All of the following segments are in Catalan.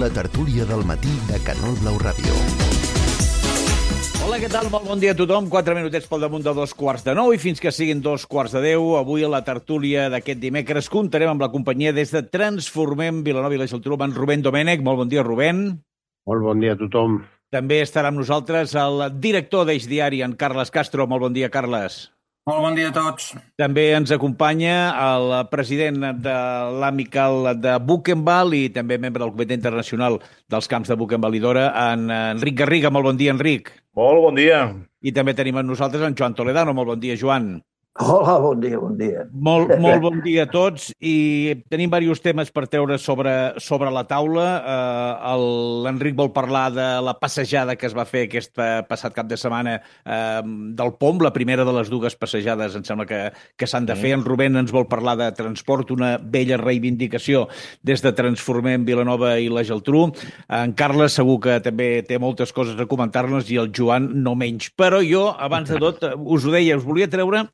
La tertúlia del matí de Canal Blau Ràdio. Hola, què tal? Molt bon dia a tothom. 4 minutets pel damunt de 2:45 i fins que siguin 2:45, avui a la tertúlia d'aquest dimecres comptarem amb la companyia des de Transformem Vilanova i la Geltrú, amb en Rubén Domènech. Molt bon dia, Rubén. Molt bon dia a tothom. També estarà amb nosaltres el director d'Eix Diari, en Carles Castro. Molt bon dia, Carles. Molt bon dia a tots. També ens acompanya el president de l'Amical de Buchenwald i també membre del Comitè Internacional dels Camps de Buchenwald i Dora, en Enric Garriga. Molt bon dia, Enric. Molt bon dia. I també tenim amb nosaltres en Joan Toledano. Molt bon dia, Joan. Hola, bon dia, bon dia. Molt bon dia a tots, i tenim diversos temes per treure sobre la taula. L'Enric vol parlar de la passejada que es va fer aquest passat cap de setmana del POM, la primera de les dues passejades, em sembla que s'han de fer. En Rubén ens vol parlar de transport, una vella reivindicació des de Transformem Vilanova i la Geltrú. En Carles segur que també té moltes coses a comentar-nos i el Joan no menys. Però jo, abans de tot, us ho deia, us volia treure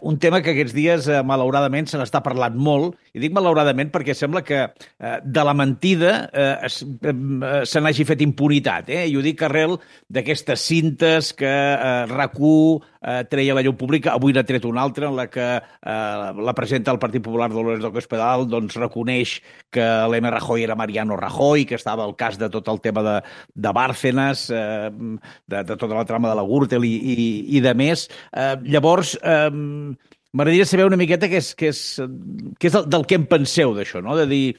un tema que aquests dies, malauradament, se n'està parlant molt, i dic malauradament perquè sembla que de la mentida se n'hagi fet impunitat, i ho dic arrel d'aquestes cintes que RAC1 treia a la llum pública. Avui n'ha tret una altra en la que la presidenta del Partit Popular, Dolores del Cospedal, doncs reconeix que l'M. Rajoy era Mariano Rajoy, que estava al cas de tot el tema de Bárcenas, de tota la trama de la Gürtel i de més. Llavors, m'agradaria saber una miqueta què és del que en penseu d'això, no? De dir,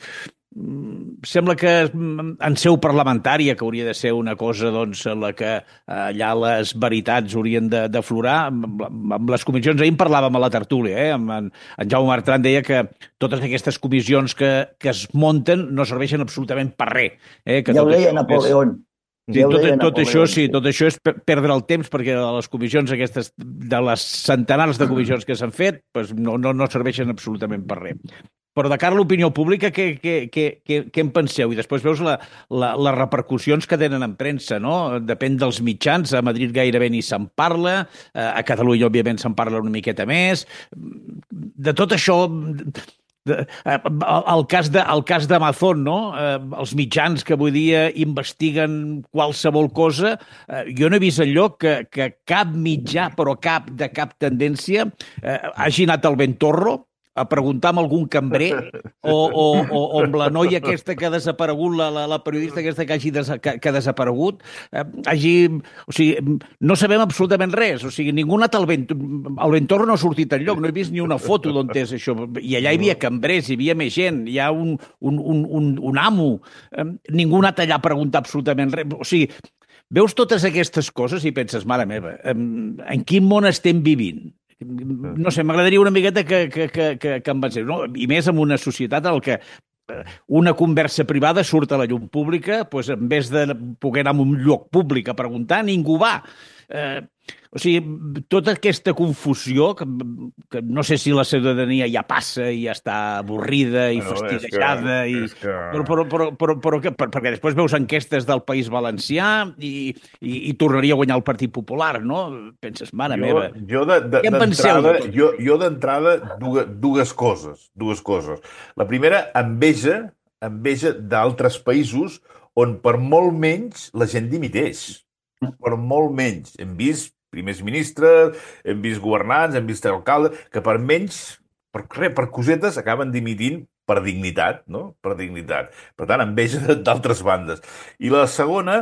sembla que en seu parlamentària, que hauria de ser una cosa doncs, en la que allà les veritats haurien d'aflorar, amb les comissions, ahir en parlàvem a la tertúlia, en Jaume Bertran deia que totes aquestes comissions que es munten no serveixen absolutament per res. Ja ho deia Napoleón. Sí, tot això és perdre el temps, perquè les comissions aquestes, de les centenars de comissions que s'han fet, no serveixen absolutament per res. Però de cara a l'opinió pública, què en penseu? I després veus les repercussions que tenen en premsa, no? Depèn dels mitjans, a Madrid gairebé ni se'n parla, a Catalunya, òbviament, se'n parla una miqueta més. De tot això, el cas d'Amazon, no? Els mitjans que avui dia investiguen qualsevol cosa, jo no he vist enlloc que cap mitjà, però cap tendència, hagi anat al Ventorro a preguntar amb algun cambrer o amb la noia aquesta que ha desaparegut, la periodista aquesta que ha desaparegut, o sigui, no sabem absolutament res, o sigui, ningú ha anat al Ventorro, no ha sortit enlloc, no he vist ni una foto d'on és això, i allà hi havia cambrers, hi havia més gent, hi ha un amo, ningú ha anat allà a preguntar absolutament res, o sigui, veus totes aquestes coses i penses, mare meva, en quin món estem vivint? No sé, m'agradaria una miqueta que em pensés, no? I més en una societat en què una conversa privada surt a la llum pública, doncs en vez de poder anar a un lloc públic a preguntar, ningú va. O sigui, tota aquesta confusió, que no sé si la ciutadania ja passa i ja està avorrida i fastiguejada, perquè després veus enquestes del País Valencià i tornaria a guanyar el Partit Popular, no? Penses, mare meva, què en penseu? Jo d'entrada, dues coses. La primera, enveja d'altres països on per molt menys la gent dimiteix. Per molt menys. Hem vist primers ministres, hem vist governants, hem vist alcaldes, que per menys, per cosetes, acaben dimitint per dignitat, no? Per dignitat. Per tant, enveja d'altres bandes. I la segona,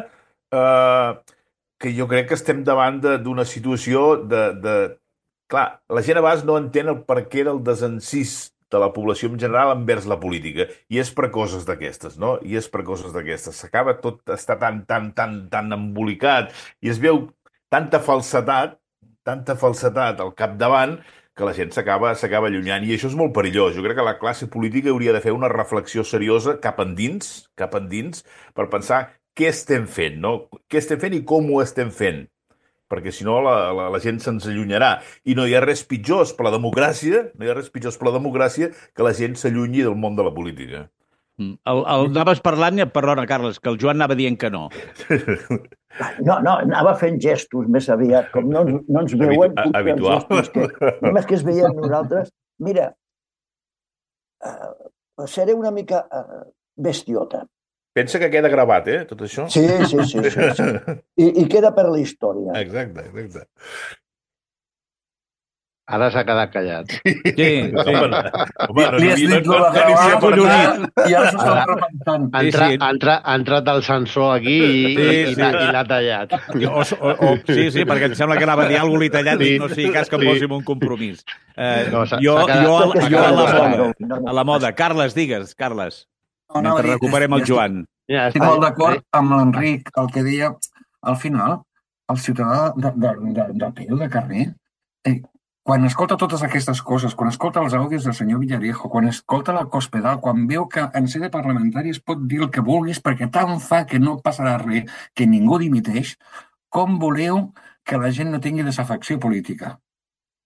que jo crec que estem davant d'una situació Clar, la gent a vegades no entén el perquè del desencís de la població en general envers la política, i és per coses d'aquestes, no? S'acaba tot, està tan embolicat, i es veu tanta falsetat al capdavant, que la gent s'acaba allunyant, i això és molt perillós. Jo crec que la classe política hauria de fer una reflexió seriosa cap endins, per pensar què estem fent, no? Què estem fent i com ho estem fent. Perquè si no la gent se'ns allunyarà. I no hi ha res pitjors per la democràcia, que la gent s'allunyi del món de la política. Anaves parlant, perdona, Carles, que el Joan anava dient que no. No, anava fent gestos més aviat, com no ens veuen. Habitual. Només que es veiem nosaltres. Mira, seré una mica bestiota. Pensa que queda gravat, tot això? Sí. I queda per la història. Exacte. Ara s'ha quedat callat. Sí. Home, Li has dit lo de gravar i ara s'ho està repensant. Ha entrat el censor aquí i l'ha tallat. Sí, perquè em sembla que anava a dir alguna cosa tallat i no sigui cas que em posi en un compromís. Jo a la moda. Carles, digues, Carles. Mentre recuperem el Joan. Estic molt d'acord amb l'Enric, el que deia, al final, el ciutadà de peu, de carrer, quan escolta totes aquestes coses, quan escolta els àudios del senyor Villarejo, quan escolta la Cospedal, quan veu que en sede parlamentària es pot dir el que vulguis perquè tant fa que no passarà res, que ningú dimiteix, com voleu que la gent no tingui desafecció política?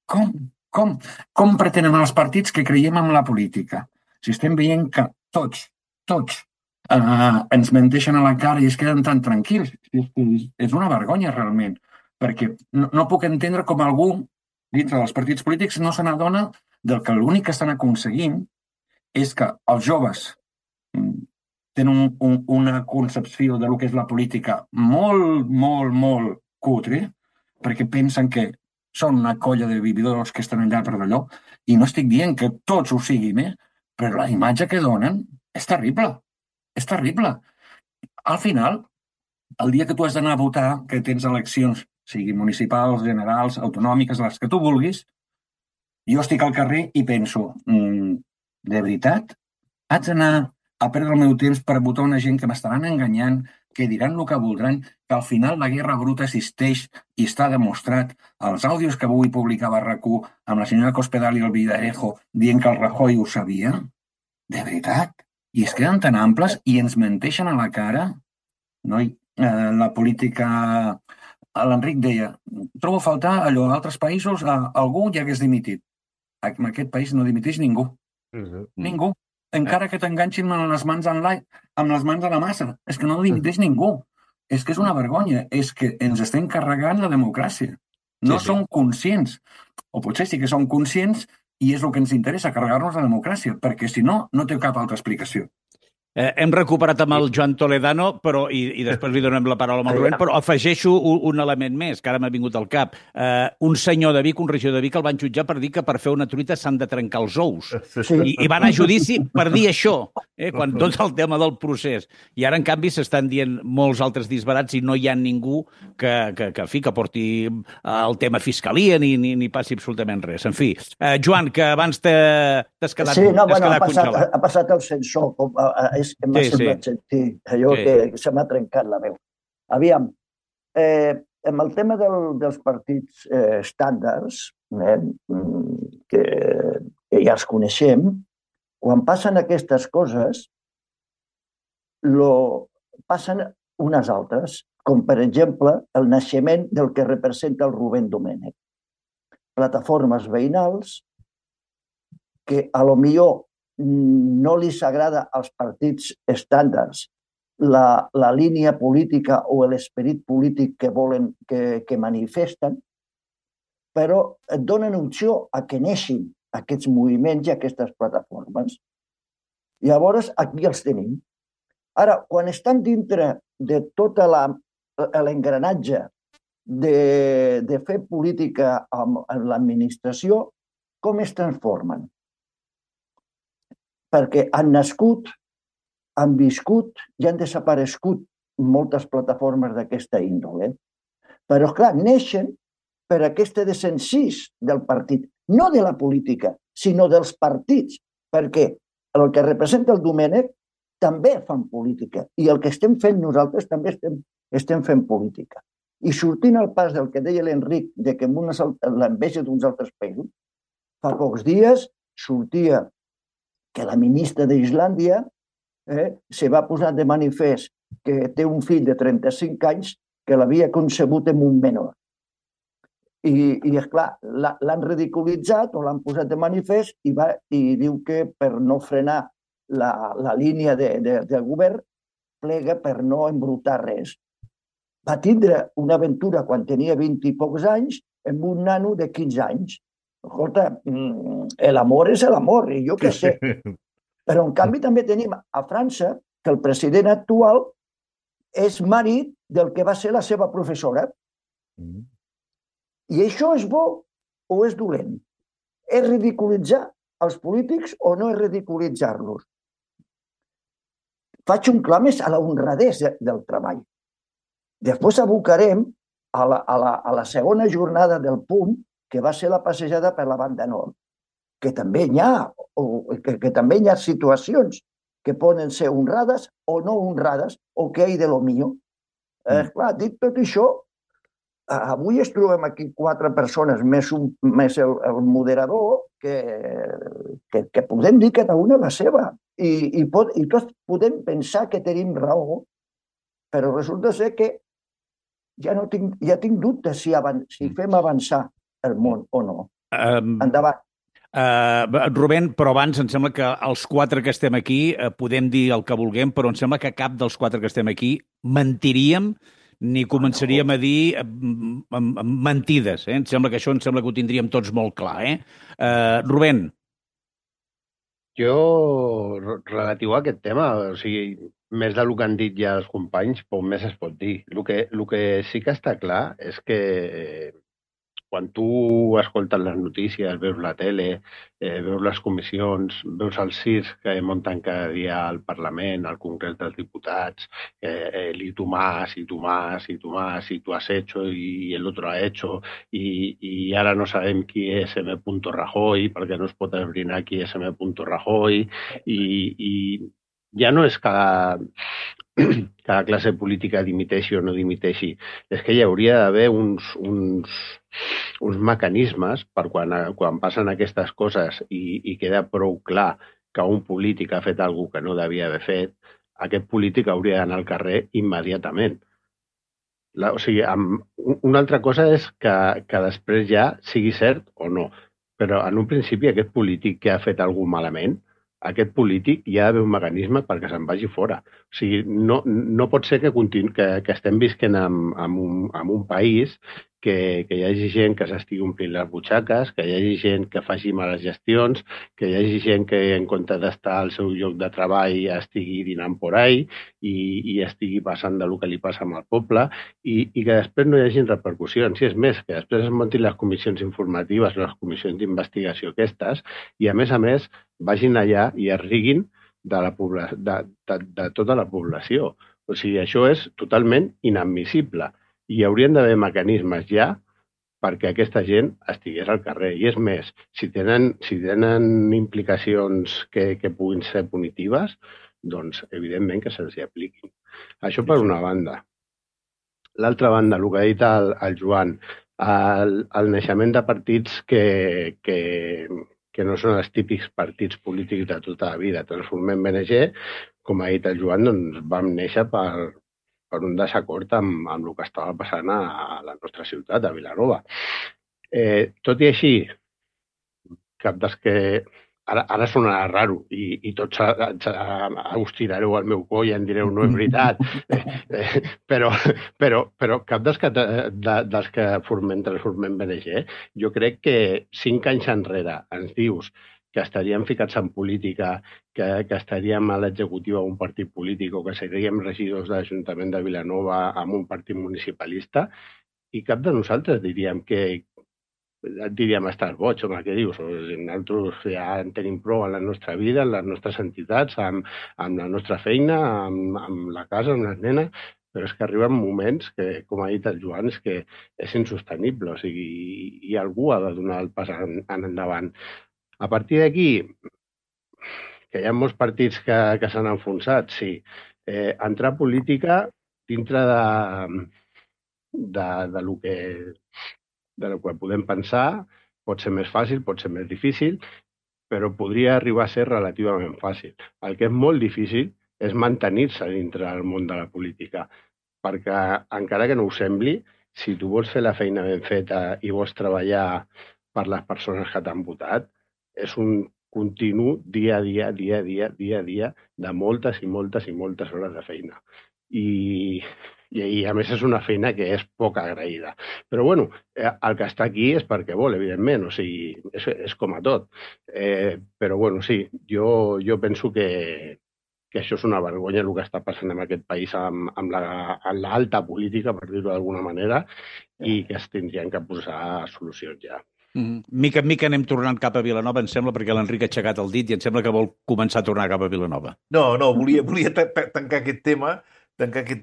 Com pretenen els partits que creiem en la política? Si estem veient que tots ens menteixen a la cara i es queden tan tranquils, és una vergonya realment, perquè no puc entendre com algú dintre dels partits polítics no se n'adona del que l'únic que estan aconseguint és que els joves tenen una concepció de lo que és la política molt cutre, perquè pensen que són una colla de vividors que estan allà per d'allò, i no estic dient que tots ho siguin, però la imatge que donen és terrible. És terrible. Al final, el dia que tu has d'anar a votar, que tens eleccions, sigui municipals, generals, autonòmiques, les que tu vulguis, jo estic al carrer i penso, de veritat, haig d'anar a perdre el meu temps per votar una gent que m'estaran enganyant, que diran el que voldran, que al final la guerra bruta existeix i està demostrat. Els àudios que avui publicava RAC1 amb la senyora Cospedal i el Villarejo dient que el Rajoy ho sabia, de veritat, i es queden tan amples i ens menteixen a la cara. La política... L'Enric deia, trobo a faltar allò, a altres països algú ja hagués dimitit. En aquest país no dimiteix ningú. Ningú. Encara que t'enganxin amb les mans a la massa. És que no dimiteix ningú. És que és una vergonya. És que ens estem carregant la democràcia. No som conscients. O potser sí que som conscients i és el que ens interessa, carregar-nos la democràcia, perquè si no, no té cap altra explicació. Hem recuperat amb el Joan Toledano, però i després li donem la paraula al Rubén, però afegeixo un element més, que ara m'ha vingut al cap. Un senyor de Vic, un regidor de Vic, el van jutjar per dir que per fer una truita s'han de trencar els ous. I van a judici per dir això, quan tot el tema del procés. I ara, en canvi, s'estan dient molts altres disbarats i no hi ha ningú que porti el tema fiscalia ni passi absolutament res. En fi, Joan, que abans t'has quedat congelat. Ha passat el sensor, és que m'ha semblat sentir allò que se m'ha trencat la veu. Aviam, amb el tema dels partits estàndards, que ja els coneixem, quan passen aquestes coses, passen unes altres, com per exemple el naixement del que representa el Rubén Domènech. Plataformes veïnals que a lo millor no li s'agrada als partits estàndards la línia política o l'esperit polític que volen, que manifesten, però et donen opció a que neixin aquests moviments i aquestes plataformes. Llavors, aquí els tenim. Ara, quan estan dintre de tot l'engranatge de fer política amb l'administració, com es transformen? Perquè han nascut, han viscut i han desaparegut moltes plataformes d'aquesta índole. Però, clar, neixen per aquest desencís del partit, no de la política, sinó dels partits, perquè el que representa el Domènech també fan política i el que estem fent nosaltres també estem fent política. I sortint al pas del que deia l'Enric, de que l'enveja d'uns altres països, fa pocs dies sortia que la ministra d'Islàndia se va posar de manifest que té un fill de 35 anys que l'havia concebut amb un menor. I esclar, l'han ridiculitzat o l'han posat de manifest i diu que per no frenar la línia del govern plega per no embrutar res. Va tindre una aventura quan tenia 20 i pocs anys amb un nano de 15 anys. Escolta, l'amor és l'amor, i jo què sé. Però, en canvi, també tenim a França, que el president actual és marit del que va ser la seva professora. I això és bo o és dolent? És ridiculitzar els polítics o no és ridiculitzar-los? Faig un clam a la honradesa del treball. Després abocarem a la segona jornada del PUM, que va ser la passejada per la banda nord, que també hi ha situacions que poden ser honrades o no honrades, o que hi de lo mío. Clar, dit tot això, avui ens trobem aquí 4 persones, més el moderador, que podem dir cada una la seva. I tots podem pensar que tenim raó, però resulta ser que ja tinc dubtes si fem avançar el món o no. Endavant. Rubén, però abans em sembla que els 4 que estem aquí podem dir el que vulguem, però em sembla que cap dels 4 que estem aquí mentiríem ni començaríem a dir mentides. Em sembla que ho tindríem tots molt clar. Rubén. Jo, relatiu a aquest tema, o sigui, més del que han dit ja els companys, poc més es pot dir. El que sí que està clar és que quan tu escoltes les notícies, veus la tele, veus les comissions, veus els CIRs que munten cada dia al Parlament, al Congrés dels Diputats, y tú más, y tú más, y tú más, y tú has hecho, y el otro ha hecho, y ara no sabem qui és M. Rajoy, perquè no es pot esbrinar qui és M. Rajoy, i ja no és cada classe política dimiteixi o no dimiteixi, és que hi hauria d'haver uns mecanismes per quan passen aquestes coses i queda prou clar que un polític ha fet alguna cosa que no devia haver fet, aquest polític hauria d'anar al carrer immediatament. O sigui, una altra cosa és que després ja sigui cert o no, però en un principi aquest polític que ha fet alguna cosa malament, aquest polític hi ha d'haver un mecanisme perquè se'n vagi fora. O sigui, no pot ser que estem visquent en un país que hi hagi gent que s'estigui omplint les butxaques, que hi hagi gent que faci males gestions, que hi hagi gent que en comptes d'estar al seu lloc de treball estigui dinant por ahí i estigui passant del que li passa amb el poble i que després no hi hagi repercussions. I és més, que després es muntin les comissions informatives, les comissions d'investigació aquestes i, a més, vagin allà i es riguin de tota la població. O sigui, això és totalment inadmissible. I hi haurien d'haver mecanismes ja perquè aquesta gent estigués al carrer. I és més, si tenen implicacions que puguin ser punitives, doncs evidentment que se'ls hi apliquin. Això per una banda. L'altra banda, el que ha dit el Joan, el naixement de partits que no són els típics partits polítics de tota la vida. Transformem BNG, com ha dit el Joan, doncs vam néixer per un desacord amb el que estava passant a la nostra ciutat, a Vilanova. Tot i així, cap dels que... Ara sonarà raro i tots us tirareu al meu coll i em direu no és veritat, però cap dels que transformem BNG, jo crec que 5 anys enrere ens dius que estaríem ficats en política, que estaríem a l'executiva d'un partit polític o que seríem regidors de l'Ajuntament de Vilanova amb un partit municipalista i cap de nosaltres diríem estàs boig, home, què dius? Nosaltres ja en tenim prou en la nostra vida, en les nostres entitats, amb la nostra feina, amb la casa, amb les nenes, però és que arriben moments que, com ha dit el Joan, és que és insostenible, o sigui, i algú ha de donar el pas endavant. A partir d'aquí, que hi ha molts partits que s'han enfonsat, sí. Entrar a política dintre de lo que podem pensar pot ser més fàcil, pot ser més difícil, però podria arribar a ser relativament fàcil. El que és molt difícil és mantenir-se dintre del món de la política, perquè encara que no ho sembli, si tu vols fer la feina ben feta i vols treballar per les persones que t'han votat, és un continu dia a dia de moltes i moltes i moltes hores de feina. I a més és una feina que és poc agraïda. Però bueno, el que està aquí és perquè vol, evidentment, o sigui, és com a tot. Però bueno, sí, jo penso que que això és una vergonya el que està passant en aquest país amb l'alta política, per dir-ho d'alguna manera, i que es tindrien que posar solucions ja. Mica en mica anem tornant cap a Vilanova, em sembla, perquè l'Enric ha aixecat el dit i em sembla que vol començar a tornar cap a Vilanova. No, volia tancar aquest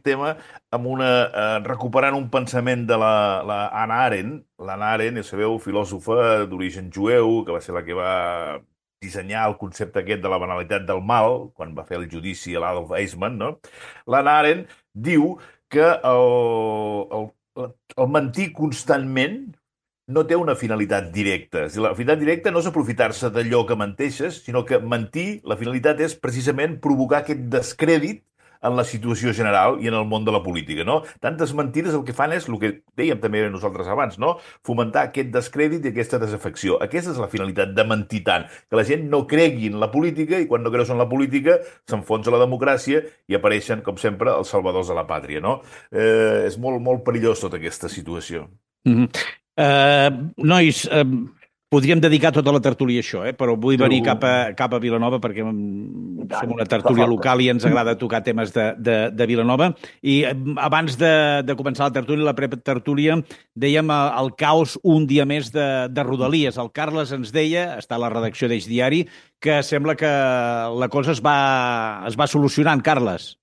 tema amb recuperant un pensament de la Hannah Arendt. L'Hannah Arendt, ja sabeu, filòsofa d'origen jueu, que va ser la que va dissenyar el concepte aquest de la banalitat del mal, quan va fer el judici a l'Adolf Eichmann, no? L'Hannah Arendt diu que el mentir constantment no té una finalitat directa. La finalitat directa no és aprofitar-se d'allò que menteixes, sinó que mentir, la finalitat és precisament provocar aquest descrèdit en la situació general i en el món de la política, no? Tantes mentides el que fan és el que dèiem també nosaltres abans, no? Fomentar aquest descrèdit i aquesta desafecció. Aquesta és la finalitat de mentir tant, que la gent no cregui en la política i quan no creus en la política s'enfonsa la democràcia i apareixen, com sempre, els salvadors de la pàtria, no? És molt, molt perillós tota aquesta situació. Nois, podríem dedicar tota la tertúlia a això, però vull venir cap a Vilanova perquè som una tertúlia local i ens agrada tocar temes de Vilanova. I abans de començar la tertúlia, la pretertúlia, dèiem el caos un dia més de Rodalies. El Carles ens deia, està a la redacció d'Eix Diari, que sembla que la cosa es va solucionant, Carles.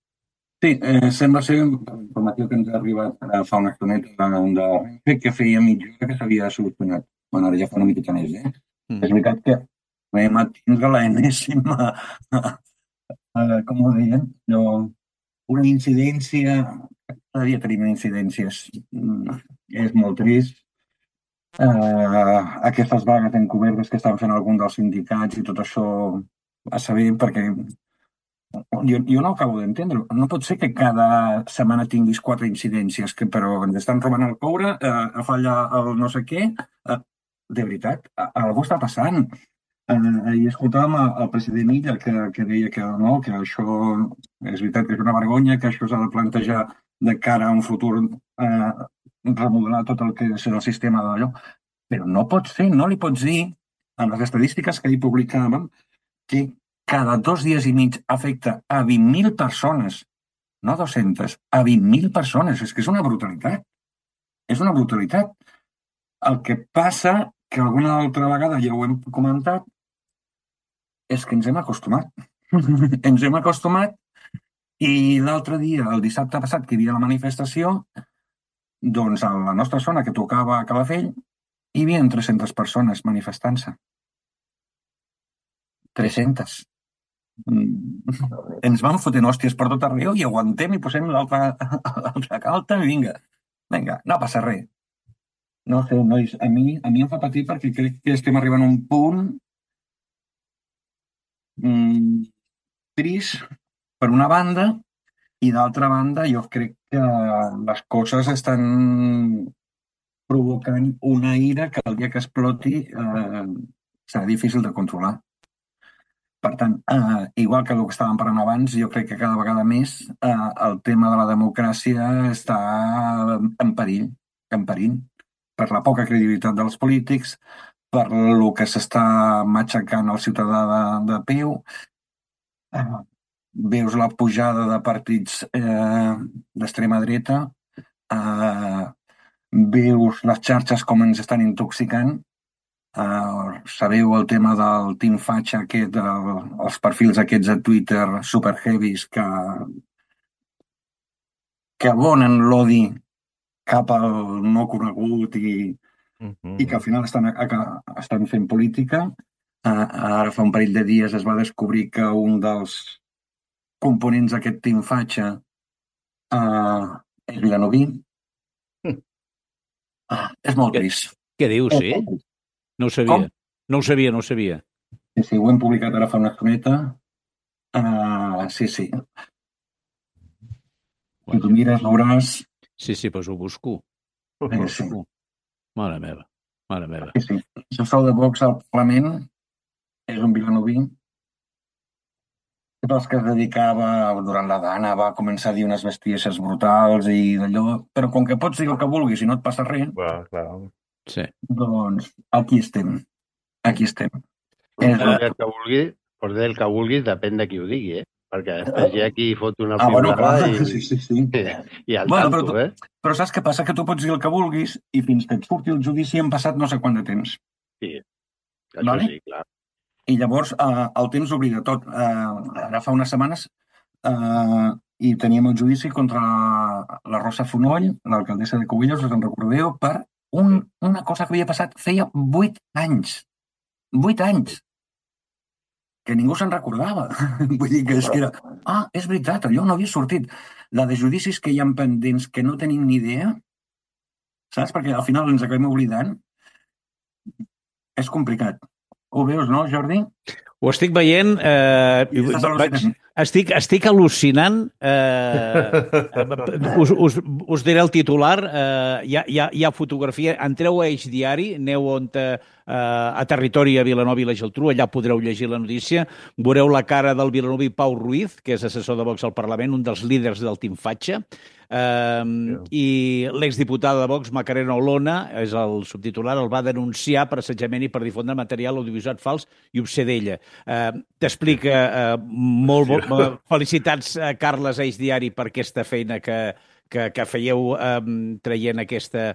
Sí, sembla ser informatiu que ens ha arribat fa una estoneta de Renfe que feia mitja hora que s'havia solucionat. Bueno, ara ja fa una miqueta més, És veritat que vam atendre l'enèsima, com ho deien, una incidència, cada dia tenim incidències, és molt trist. Aquestes vagues encobertes que estan fent alguns dels sindicats i tot això a saber, perquè jo no acabo d'entendre. No pot ser que cada setmana tinguis 4 incidències, però ens estan robant el coure, falla el no sé què. De veritat, algú està passant. Ahir escoltàvem el president Illa que deia que no, que això és veritat que és una vergonya, que això s'ha de plantejar de cara a un futur, remodelar tot el que és el sistema d'allò. Però no pots fer, no li pots dir, amb les estadístiques que ahir publicàvem, que cada 2 dies i mig afecta a 20.000 persones, no 200, a 20.000 persones. És que és una brutalitat. És una brutalitat. El que passa, que alguna altra vegada ja ho hem comentat, és que ens hem acostumat. Ens hem acostumat i l'altre dia, el dissabte passat, que hi havia la manifestació, doncs a la nostra zona, que tocava a Calafell, hi havia 300 persones manifestant-se. 300. Ens van fotent hòsties per tot arreu i aguantem i posem l'altra calta i vinga, no passa res. No sé, nois, a mi em fa patir perquè crec que estem arribant a un punt trist per una banda i d'altra banda jo crec que les coses estan provocant una ira que el dia que exploti serà difícil de controlar. Per tant, igual que el que estàvem parlant abans, jo crec que cada vegada més el tema de la democràcia està en perill, per la poca credibilitat dels polítics, per el que s'està matxacant el ciutadà de peu. Veus la pujada de partits d'extrema dreta, veus les xarxes com ens estan intoxicant. Sabeu el tema del Team Fatxa aquest, els perfils aquests a Twitter super heavies que abonen l'odi cap al no conegut i que al final estan fent política. Ara fa un parell de dies es va descobrir que un dels components d'aquest Team Fatxa és vilanoví. És molt trist. Què dius, sí? No ho sabia. Com? No ho sabia. Sí, ho hem publicat ara fa una estoneta. Sí. Si tu mires, veuràs... Sí, doncs ho busco. Sí. Mare meva. Sí. El sou de Vox al Parlament és un vilanoví. Tots els que es dedicava durant la Dana va començar a dir unes bestieses brutals i d'allò, però com que pots dir el que vulguis i no et passa res, sí. Doncs aquí estem. El que vulgui, Pots dir el que vulguis, depèn de qui ho digui, Perquè després hi ha qui fot una bueno, piulada clar, sí. i al Bueno, tanto, però saps què passa? Que tu pots dir el que vulguis i fins que et surti el judici han passat no sé quant de temps. Sí, això Vale? sí, clar. I llavors el temps oblida tot. Ara fa unes setmanes i teníem el judici contra la Rosa Fonoll, l'alcaldessa de Cubellos, us en recordeu, per una cosa que havia passat feia 8 anys. 8 anys! Que ningú se'n recordava. Vull dir que és que era... és veritat, allò no havia sortit. La de judicis que hi ha pendents que no tenim ni idea, saps? Perquè al final ens acabem oblidant. És complicat. Ho veus, no, Jordi? Ho estic veient. Estic al·lucinant. Us diré el titular. Hi ha fotografia. Entreu a Eix Diari, aneu a Territori a Vilanova i la Geltrú, allà podreu llegir la notícia. Veureu la cara del vilanoví Pau Ruiz, que és assessor de Vox al Parlament, un dels líders del Team Fatxa. I l'exdiputada de Vox, Macarena Olona, és el subtitular, el va denunciar per assetjament i per difondre material audiovisual fals i obscè d'ella. T'explica molt felicitats, Carles, a Eix Diari, per aquesta feina que fèieu traient aquesta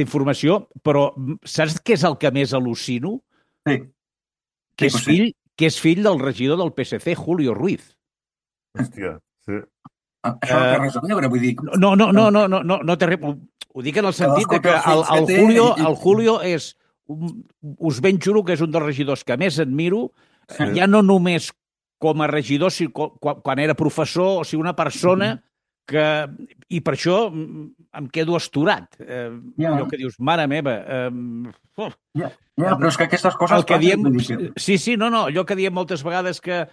informació, però saps què és el que més al·lucino? Sí. Que és fill del regidor del PSC, Julio Ruiz. Hòstia, sí. Això no té res a veure, vull dir... No té res... Ho dic en el sentit que el Julio és... Us ben juro que és un dels regidors que més admiro, ja no només com a regidor, sinó quan era professor, o sigui, una persona que... I per això em quedo astorat. Allò que dius, mare meva... però és que aquestes coses... Allò que diem moltes vegades que...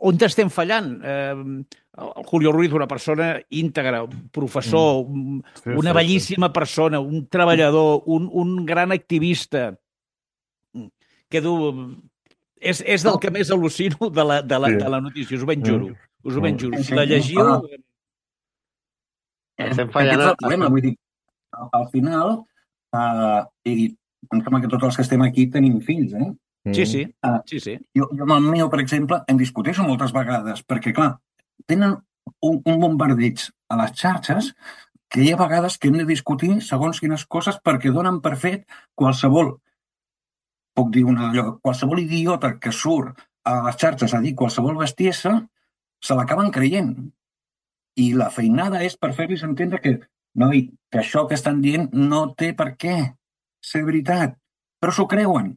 On estem fallant? El Julio Ruiz, una persona íntegra, un professor, una bellíssima persona, un treballador, un gran activista. És del que més al·lucino de la notícia, us ho ben juro. Si la llegiu... Estem fallant... Aquest és el problema, vull dir, al final, em sembla que tots els que estem aquí tenim fills, Sí. Jo amb el meu, per exemple, em discuteixo moltes vegades, perquè, clar, tenen un bombardeig a les xarxes que hi ha vegades que hem de discutir segons quines coses perquè donen per fet qualsevol idiota que surt a les xarxes a dir qualsevol bestiesa, se l'acaben creient. I la feinada és per fer-los entendre que, noi, que això que estan dient no té per què ser veritat, però s'ho creuen.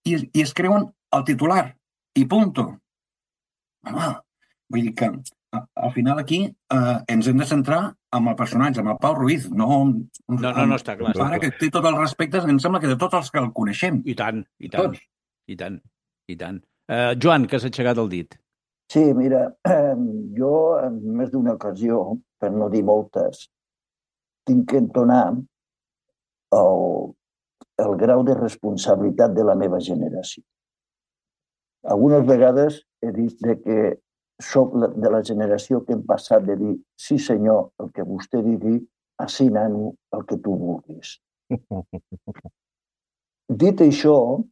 I es creuen el titular i punto. Vull dir que al final aquí ens hem de centrar en el personatge, en el Pau Ruiz, no està clar. Ara que té tot el respecte, em sembla que de tots els que el coneixem. I tant. Joan, que has aixecat el dit. Sí, mira, jo en més d'una ocasió, per no dir moltes, tinc que entonar el grau de responsabilitat de la meva generació. Algunes vegades he dit que soc de la generació que hem passat de dir sí senyor, el que vostè digui, així nano, el que tu vulguis. Dit això,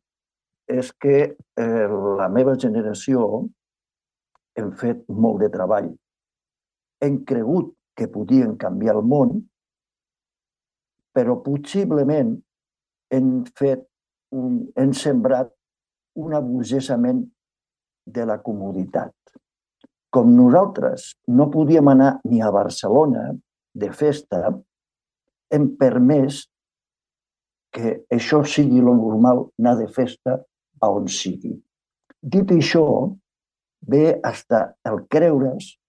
és que la meva generació hem fet molt de treball. Hem cregut que podien canviar el món, però possiblement hem sembrat un aburgesament de la comoditat. Com nosaltres no podíem anar ni a Barcelona de festa, hem permès que això sigui lo normal, anar de festa a on sigui. Dit això, ve fins el creure's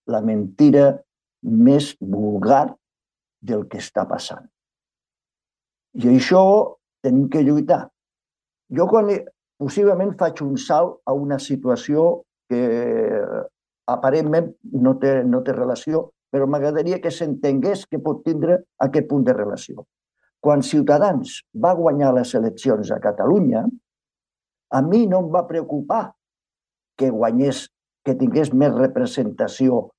la mentira més vulgar del que està passant. I això tenim que lluitar. Jo possiblement faig un salt a una situació que aparentment no té relació, però m'agradaria que s'entengués que pot tindre aquest punt de relació. Quan Ciutadans va guanyar les eleccions a Catalunya, a mi no em va preocupar que guanyés, que tingués més representació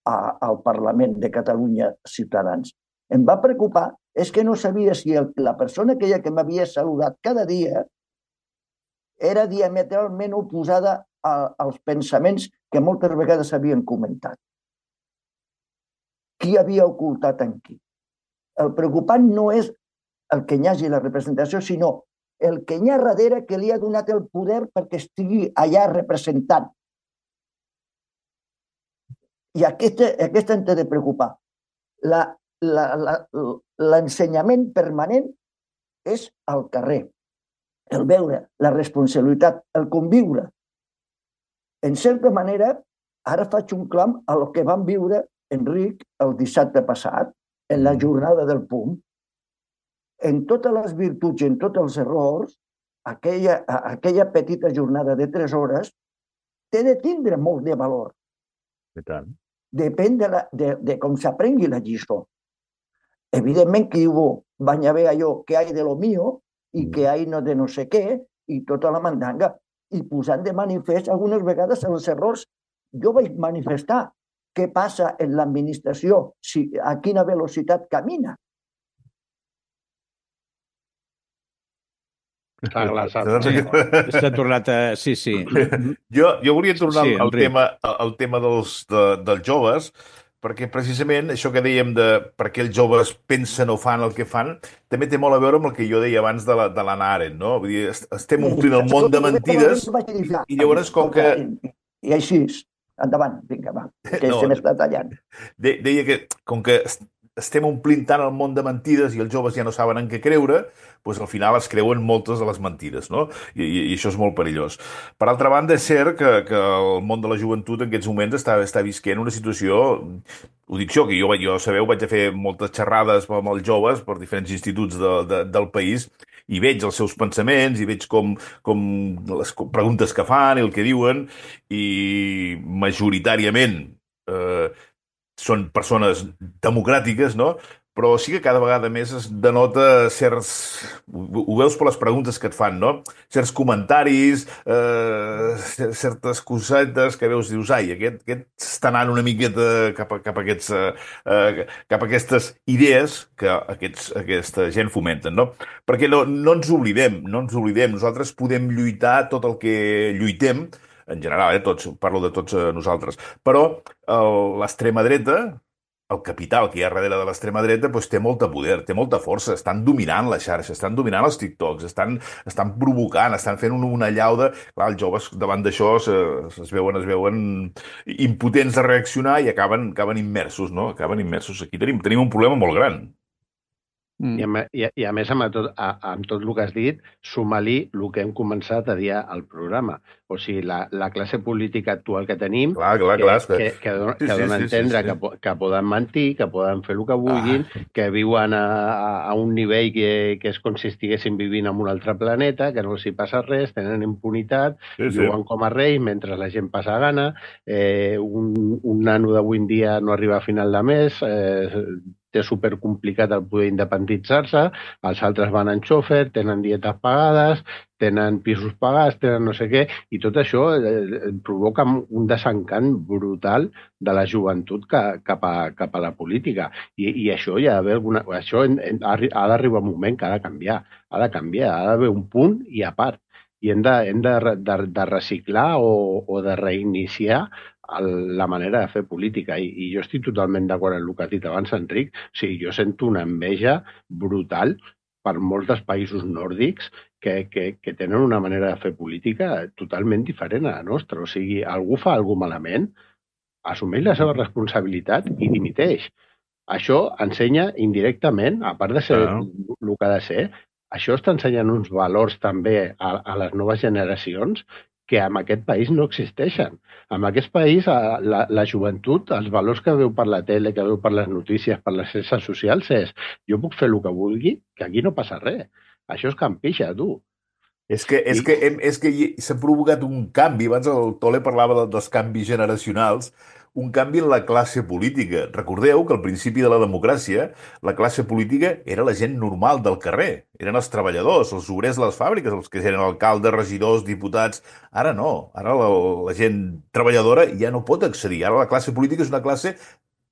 al Parlament de Catalunya Ciutadans. Em va preocupar és que no sabia si la persona aquella que m'havia saludat cada dia era diametralment oposada als pensaments que moltes vegades s'havien comentat. Qui havia ocultat en qui? El preocupant no és el que hi hagi la representació, sinó el que hi ha darrere que li ha donat el poder perquè estigui allà representant. I aquesta ens ha de preocupar. L'ensenyament permanent és al carrer, el veure, la responsabilitat, el conviure. En certa manera, ara faig un clam a lo que vam viure, Enric, el dissabte passat, en la jornada del PUM. En totes les virtuts i en tots els errors, aquella petita jornada de 3 hores té de tindre molt de valor. I tant. Depèn de com s'aprengui la lliçó. Evidentment que van haver allò que hay de lo mío i que hay no de no sé què i tota la mandanga. I posant de manifest algunes vegades els errors. Jo vaig manifestar què passa en l'administració, a quina velocitat camina. S'ha tornat a... Sí. Jo volia tornar al Enric. tema dels joves, perquè precisament això que dèiem de per què els joves pensen o fan el que fan, també té molt a veure amb el que jo deia abans de l'Hannah Arendt, no? Vull dir, estem omplint el món de mentides i llavors com que... I així, endavant, vinga, va, que se m'està tallant. Deia que com que estem omplint tant el món de mentides i els joves ja no saben en què creure, doncs al final es creuen moltes de les mentides, no? I això és molt perillós. Per altra banda, és cert que el món de la joventut en aquests moments està visquent una situació, ho dic jo, que jo sabeu, vaig a fer moltes xerrades amb els joves per diferents instituts del país i veig els seus pensaments i veig com les preguntes que fan i el que diuen i majoritàriament són persones democràtiques, no? Però sí que cada vegada més es denota certs... Ho veus per les preguntes que et fan, no? Certs comentaris, certes cosetes que veus i dius, ai, aquest està anant una miqueta cap a aquestes idees que aquesta gent fomenten, no? Perquè no ens oblidem, nosaltres podem lluitar tot el que lluitem, en general, parlo de tots nosaltres, però l'extrema dreta, el capital que hi ha darrere de l'extrema dreta té molt poder, té molta força, estan dominant la xarxa, estan dominant els TikToks, estan provocant, estan fent una llauda. Clar, els joves davant d'això es veuen impotents de reaccionar i acaben immersos, no? Acaben immersos. Aquí tenim un problema molt gran. I a més, amb tot el que has dit, suma-li el que hem començat a dir al programa. O sigui, la classe política actual que tenim, que dona a entendre que poden mentir, que poden fer el que vulguin, que viuen a un nivell que és com si estiguessin vivint en un altre planeta, que no els hi passa res, tenen impunitat, viuen com a reis mentre la gent passa gana, un nano d'avui en dia no arriba a final de mes, té supercomplicat el poder independitzar-se, els altres van en xòfer, tenen dietes pagades, tenen pisos pagats, tenen no sé què, i tot això provoca un desencant brutal de la joventut cap a la política. I això hi ha d'haver això ha d'arribar un moment que ha de canviar, ha d'haver un punt i a part. I hem de reciclar o de reiniciar la manera de fer política. I jo estic totalment d'acord amb el que has dit abans, Enric. O sigui, jo sento una enveja brutal per molts dels països nòrdics que tenen una manera de fer política totalment diferent a la nostra. O sigui, algú fa alguna cosa malament, assumeix la seva responsabilitat i dimiteix. Això ensenya indirectament, a part de ser el que ha de ser, això està ensenyant uns valors també a les noves generacions que en aquest país no existeixen. En aquest país, la joventut, els valors que veu per la tele, que veu per les notícies, per les xarxes socials, és jo puc fer el que vulgui, que aquí no passa res. Això és campixa, tu. És que s'ha provocat un canvi. Abans el Tole parlava dels canvis generacionals, un canvi en la classe política. Recordeu que al principi de la democràcia la classe política era la gent normal del carrer. Eren els treballadors, els obrers de les fàbriques, els que eren alcaldes, regidors, diputats. Ara no. Ara la gent treballadora ja no pot accedir. Ara la classe política és una classe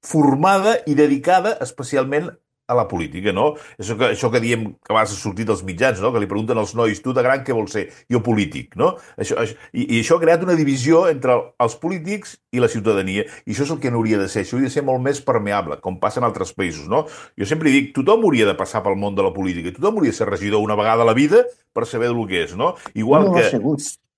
formada i dedicada especialment a la política, no? Això que diem que abans ha sortit als mitjans, no? Que li pregunten als nois, tu de gran què vols ser? Jo polític, no? I això ha creat una divisió entre els polítics i la ciutadania. I això és el que no hauria de ser. Això hauria de ser molt més permeable, com passa en altres països, no? Jo sempre dic, tothom hauria de passar pel món de la política. Tothom hauria de ser regidor una vegada a la vida per saber el que és, no? Igual que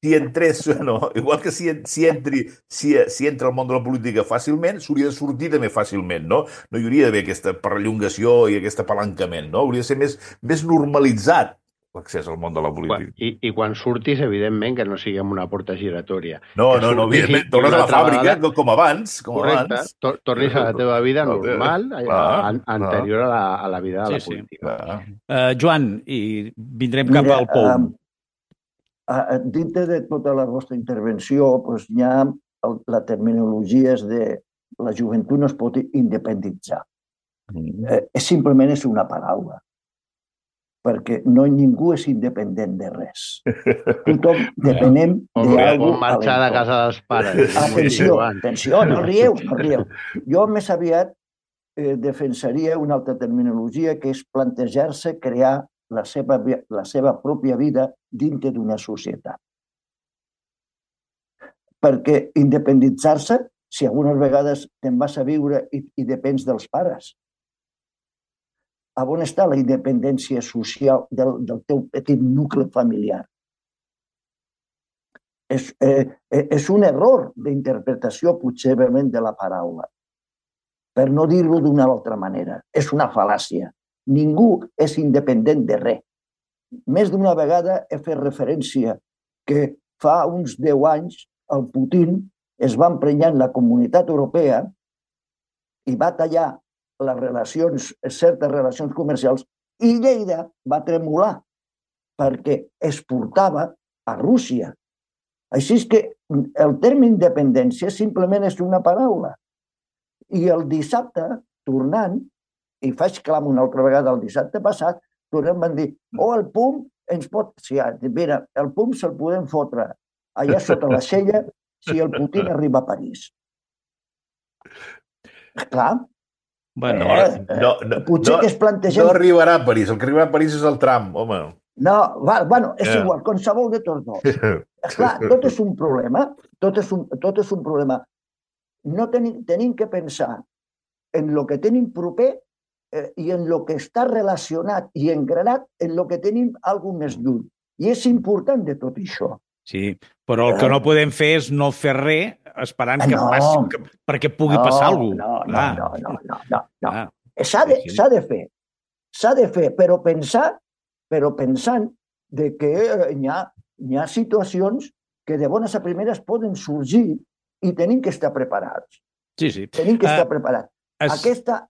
si entrés, no, igual que si entra al món de la política fàcilment, s'hauria de sortir també fàcilment, no? No hi hauria d'haver aquesta perllongació i aquest apalancament, no? Hauria de ser més normalitzat l'accés al món de la política. I quan surtis, evidentment, que no sigui amb una porta giratòria. No, evidentment, tornes a la fàbrica com abans. Correcte, tornis a la teva vida normal, anterior a la vida de la política. Joan, i vindrem cap al POUM. Dintre de tota la vostra intervenció, doncs, hi ha la terminologia és de la joventut no es pot independitzar. Simplement és una paraula, perquè ningú és independent de res. Tothom depenem d'algú. Com marxar de casa dels pares. Atenció, no rieu. Jo més aviat defensaria una altra terminologia que és plantejar-se crear la seva pròpia vida dintre d'una societat. Perquè independitzar-se, si algunes vegades te'n vas a viure i depens dels pares, on està la independència social del teu petit nucli familiar? És un error d'interpretació, possiblement, de la paraula. Per no dir-ho d'una altra manera. És una fal·làcia. Ningú és independent de res. Més d'una vegada he fet referència que fa uns 10 anys el Putin es va emprenyar en la Comunitat Europea i va tallar certes relacions comercials i Lleida va tremolar perquè exportava a Rússia. Així és que el terme independència simplement és una paraula. I el dissabte, tornant, i faig clam una altra vegada el dissabte passat, tornem van dir, el PUM ens pot... Mira, el PUM se'l podem fotre allà sota la cella si el Putin arriba a París. Clar. Potser que es plantegem... No arribarà a París, el que arribarà a París és el Trump, home. No, és igual, qualsevol de tots dos. Clar, tot és un problema. Tot és un problema. No tenim que pensar en el que tenim proper i en el que està relacionat i engranat en el que tenim alguna més lluny. I és important de tot això. Sí, però el que no podem fer és no fer res esperant que passi, perquè pugui passar alguna cosa. No. S'ha de fer. S'ha de fer, però pensant que hi ha situacions que de bones a primeres poden sorgir i tenim que estar preparats. Sí. Tenim que estar preparats. Aquesta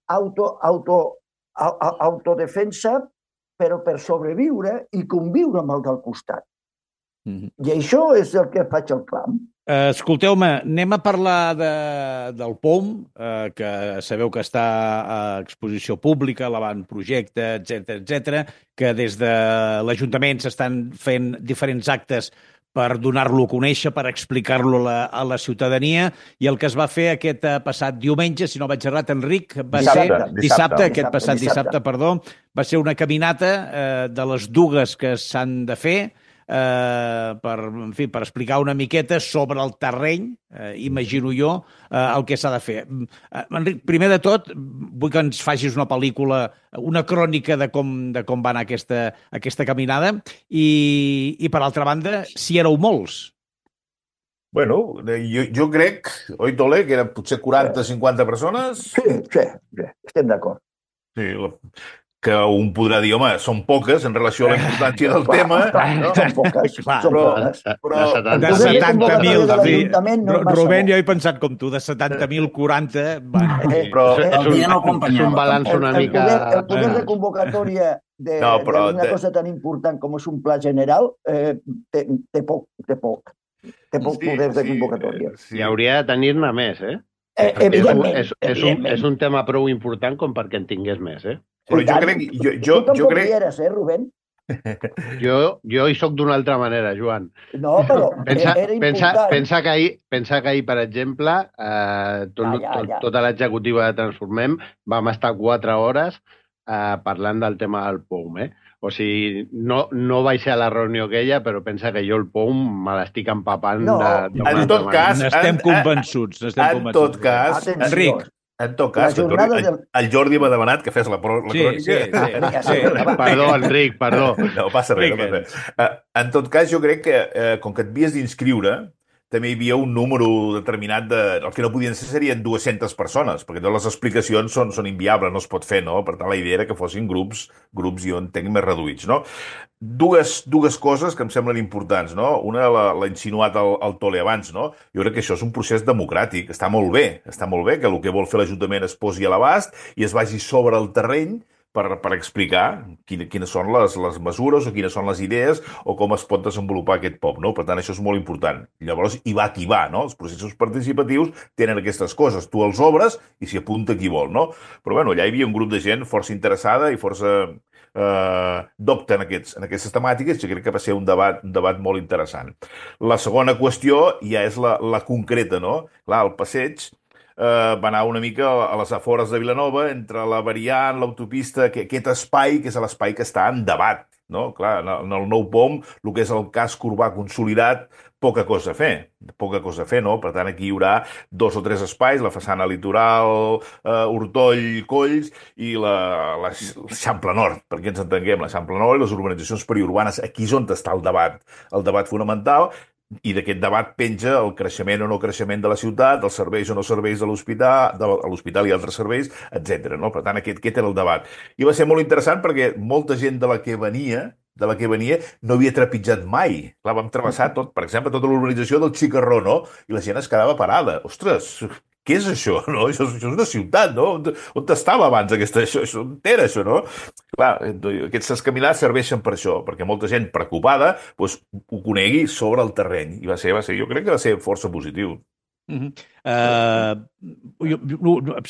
autodefensa, però per sobreviure i conviure amb el del costat. I això és el que faig el clam. Escolteu-me, anem a parlar del POUM, que sabeu que està a exposició pública, l'avantprojecte, etc, que des de l'Ajuntament s'estan fent diferents actes per donar-lo a conèixer, per explicar-lo a la ciutadania, i el que es va fer aquest passat diumenge, si no vaig errat, Enric, va ser dissabte, va ser una caminata de les dues que s'han de fer, per explicar una miqueta sobre el terreny, imagino jo, el que s'ha de fer. Enric, primer de tot, vull que ens facis una pel·lícula, una crònica de com va anar aquesta caminada i per altra banda, si éreu molts. Bueno, jo crec, oi, Tole, que eren potser 40-50 persones? Sí, estem d'acord. Sí, que un podrà dir, home, són poques en relació a la importància del tema. Són poques. Però de 70.000, Rubén, jo he pensat com tu, de 70.000, 40... Però és un balanç una mica... El poder de convocatòria d'una cosa tan important com és un pla general té poc poder de convocatòria. I hauria de tenir-ne més, Evidentment. És un tema prou important com perquè en tingués més, Però jo crec... Eres, Rubén? Jo hi soc d'una altra manera, Joan. No, però era important. Pensa que ahir, per exemple, tota l'executiva de Transformem vam estar 4 hores parlant del tema del POUM, O sigui, no vaig ser a la reunió aquella, però pensa que jo el POUM me l'estic empapant En tot cas... N'estem convençuts. En tot cas, Enric, en tot cas, el Jordi m'ha demanat que fes la crònica. Sí. Perdó, Enric, perdó. No passa res. En tot cas, jo crec que, com que et havies d'inscriure, també hi havia un número determinat el que no podien ser serien 200 persones, perquè totes les explicacions són inviables, no es pot fer, no? Per tant, la idea era que fossin grups jo entenc, més reduïts, no? Dues coses que em semblen importants, no? Una l'ha insinuat el Tole abans, no? Jo crec que això és un procés democràtic, està molt bé que el que vol fer l'Ajuntament es posi a l'abast i es vagi sobre el terreny per explicar quines són les mesures o quines són les idees o com es pot desenvolupar aquest POP, no? Per tant, això és molt important. Llavors, hi va qui va, no? Els processos participatius tenen aquestes coses. Tu els obres i s'hi apunta qui vol, no? Però, bueno, allà hi havia un grup de gent força interessada i força docta en aquestes temàtiques, i crec que va ser un debat molt interessant. La segona qüestió ja és la concreta, no? Clar, el passeig va anar una mica a les afores de Vilanova, entre la variant, l'autopista, aquest espai, que és l'espai que està en debat, no? Clar, en el nou POM, el que és el casc urbà consolidat, poca cosa a fer, no? Per tant, aquí hi haurà 2 o 3 espais, la façana litoral, Hortoll, Colls i l'Eixample Nord, perquè ens entenguem, l'Eixample Nord i les urbanitzacions periurbanes. Aquí és on està el debat fonamental, i d'aquest debat penja el creixement o no creixement de la ciutat, els serveis o no serveis de l'hospital i altres serveis, etc. No? Per tant, aquest era el debat. I va ser molt interessant perquè molta gent de la que venia no havia trepitjat mai. Clar, vam travessar per exemple, tota l'urbanització del Xicarró, no? I la gent es quedava parada. Ostres, què és això, no? Això és una ciutat, no? On estava abans això? On era això, no? Clar, aquestes caminades serveixen per això, perquè molta gent preocupada ho conegui sobre el terreny. I jo crec que va ser força positiu.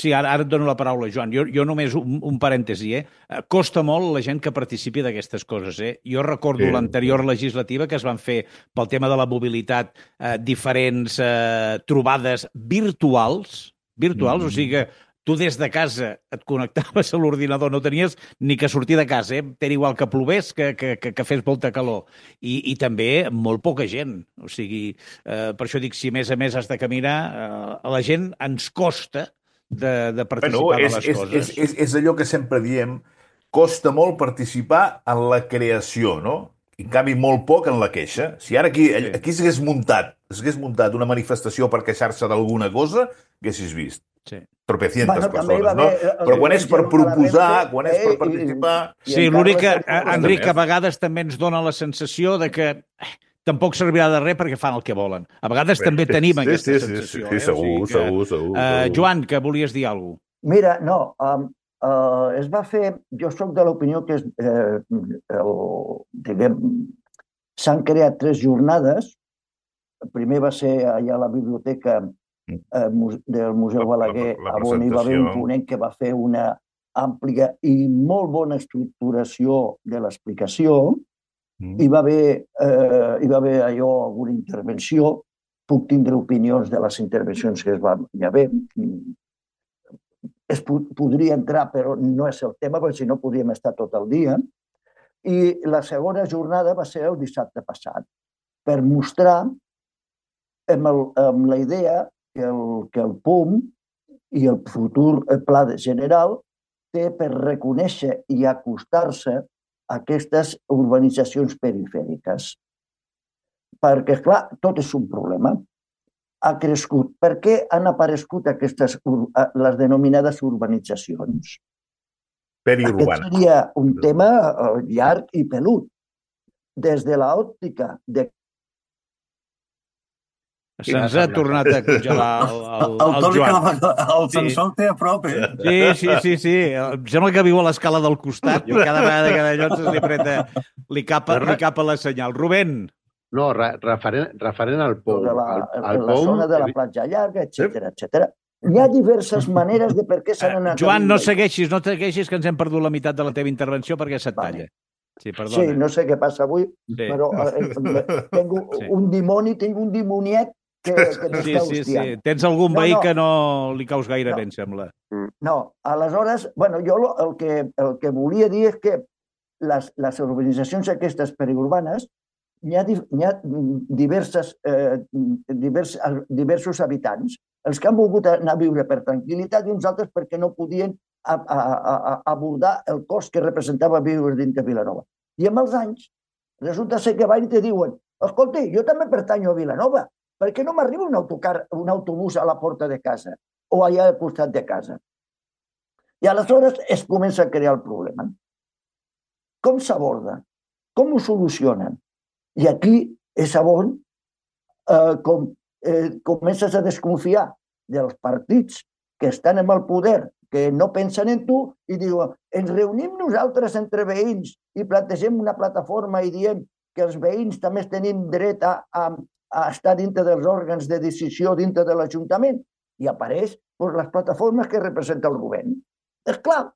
Sí, ara et dono la paraula, Joan. Jo només un parèntesi, Costa molt la gent que participi d'aquestes coses, Jo recordo l'anterior legislativa que es van fer pel tema de la mobilitat diferents trobades virtuals, o sigui que tu des de casa et connectaves a l'ordinador, no tenies ni que sortir de casa, T'era igual que plovés, que fes molta calor. I també molt poca gent. O sigui, per això dic, si a més has de caminar, a la gent ens costa de participar de les coses. És allò que sempre diem, costa molt participar en la creació, no? En canvi, molt poc en la queixa. Si ara aquí s'hagués muntat una manifestació per queixar-se d'alguna cosa, haguessis vist. Sí. Tropecientas persones, no? Però quan és per proposar, quan és per participar... Sí, l'únic que, Enric, a vegades també ens dona la sensació de que tampoc servirà de res perquè fan el que volen. A vegades també tenim aquesta sensació. Sí, segur. Joan, que volies dir alguna cosa? Mira, no, es va fer... Jo soc de l'opinió que s'han creat 3 jornades. El primer va ser allà a la biblioteca del Museu Balaguer, on hi va haver un ponent que va fer una àmplia i molt bona estructuració de l'explicació. Hi va haver allò alguna intervenció. Puc tindre opinions de les intervencions que es van haver. Es podria entrar, però no és el tema, perquè si no podríem estar tot el dia. I la segona jornada va ser el dissabte passat, per mostrar amb la idea que el POM i el futur pla general té per reconèixer i acostar-se a aquestes urbanitzacions perifèriques. Perquè, clar, tot és un problema. Ha crescut. Per què han aparegut les denominades urbanitzacions? Periurbanes. Aquest seria un tema llarg i pelut. Des de l'òptica de... Se'ns ha tornat a congelar el Joan. El sensor té a prop, Sí. Em sembla que viu a l'escala del costat. Cada vegada que de llocs li capa la senyal. Rubén. No, referent al POM. La zona de la platja llarga, etc. Hi ha diverses maneres de per què s'han anat... Joan, no segueixis, que ens hem perdut la meitat de la teva intervenció perquè se't talla. Sí, perdona. Sí, no sé què passa avui, però tinc un dimoniet que no està hostiant. Tens algun veí que no li caus gaire bé, em sembla. No, aleshores, jo el que volia dir és que les urbanitzacions aquestes periurbanes hi ha diversos habitants, els que han volgut anar a viure per tranquil·litat i uns altres perquè no podien abordar el cost que representava viure dins de Vilanova. I amb els anys resulta ser que van i te diuen: escolta, jo també pertanyo a Vilanova, per què no m'arriba un autobús a la porta de casa o allà al costat de casa? I aleshores es comença a crear el problema. Com s'aborda? Com ho solucionen? I aquí és on comences a desconfiar dels partits que estan en el poder, que no pensen en tu i diuen: ens reunim nosaltres entre veïns i plantegem una plataforma i diem que els veïns també tenim dret a estar dintre dels òrgans de decisió dintre de l'Ajuntament. I apareix les plataformes que representa el govern. És clar.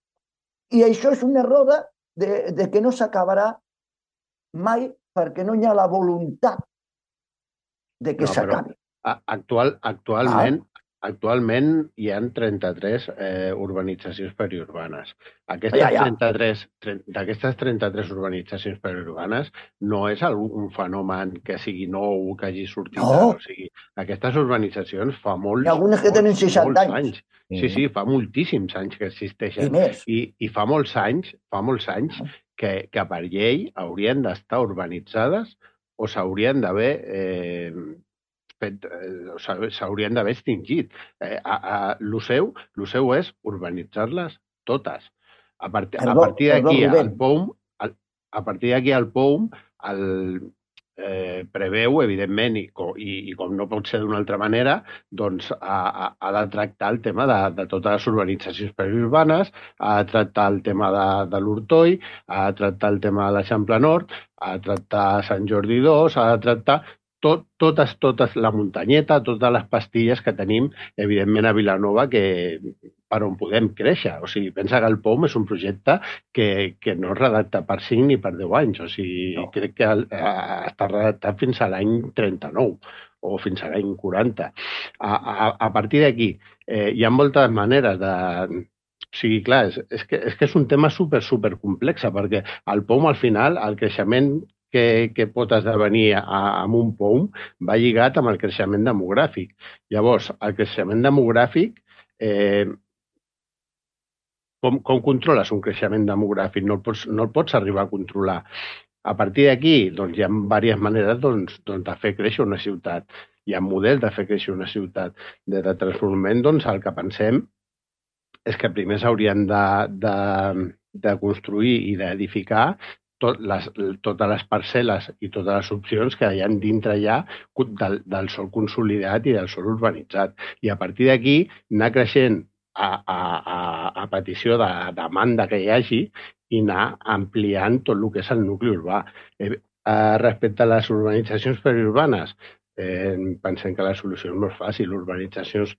I això és una roda de que no s'acabarà mai perquè no hi ha la voluntat de que s'acabi. Actualment hi ha 33 urbanitzacions periurbanes. D'aquestes 33 urbanitzacions periurbanes no és un fenomen que sigui nou, que hagi sortit. No. O sigui, aquestes urbanitzacions fa molts algunes que tenen 60 anys. Sí, fa moltíssims anys que existeixen. I més. I fa molts anys que per llei haurien d'estar urbanitzades o s'haurien d'haver s'haurien d'haver extingit. Lo seu és urbanitzar-les totes. A partir d'aquí el POUM preveu, evidentment, i com no pot ser d'una altra manera, doncs ha de tractar el tema de totes les urbanitzacions periurbanes, ha de tractar el tema de l'Hortoi, ha de tractar el tema de l'Eixample Nord, ha de tractar Sant Jordi II, ha de tractar totes la muntanyeta, totes les pastilles que tenim, evidentment, a Vilanova, per on podem créixer. O sigui, pensa que el POUM és un projecte que no es redacta per 5 ni per 10 anys. O sigui, crec que està redactat fins a l'any 39 o fins a l'any 40. A partir d'aquí, hi ha moltes maneres de... O sigui, clar, és que és un tema super complex, perquè el POUM, al final, el creixement que pot esdevenir amb un POUM va lligat amb el creixement demogràfic. Llavors, el creixement demogràfic, com controles un creixement demogràfic? No el pots arribar a controlar. A partir d'aquí, doncs, hi ha diverses maneres de fer créixer una ciutat. Hi ha models de fer créixer una ciutat. Des de Transformament, doncs, el que pensem és que primer s'haurien de construir i d'edificar totes les parcel·les i totes les opcions que hi ha dintre ja del sòl consolidat i del sòl urbanitzat. I a partir d'aquí anar creixent a petició de demanda que hi hagi i anar ampliant tot el que és el nucli urbà. Respecte a les urbanitzacions periurbanes, pensem que la solució és molt fàcil, urbanitzacions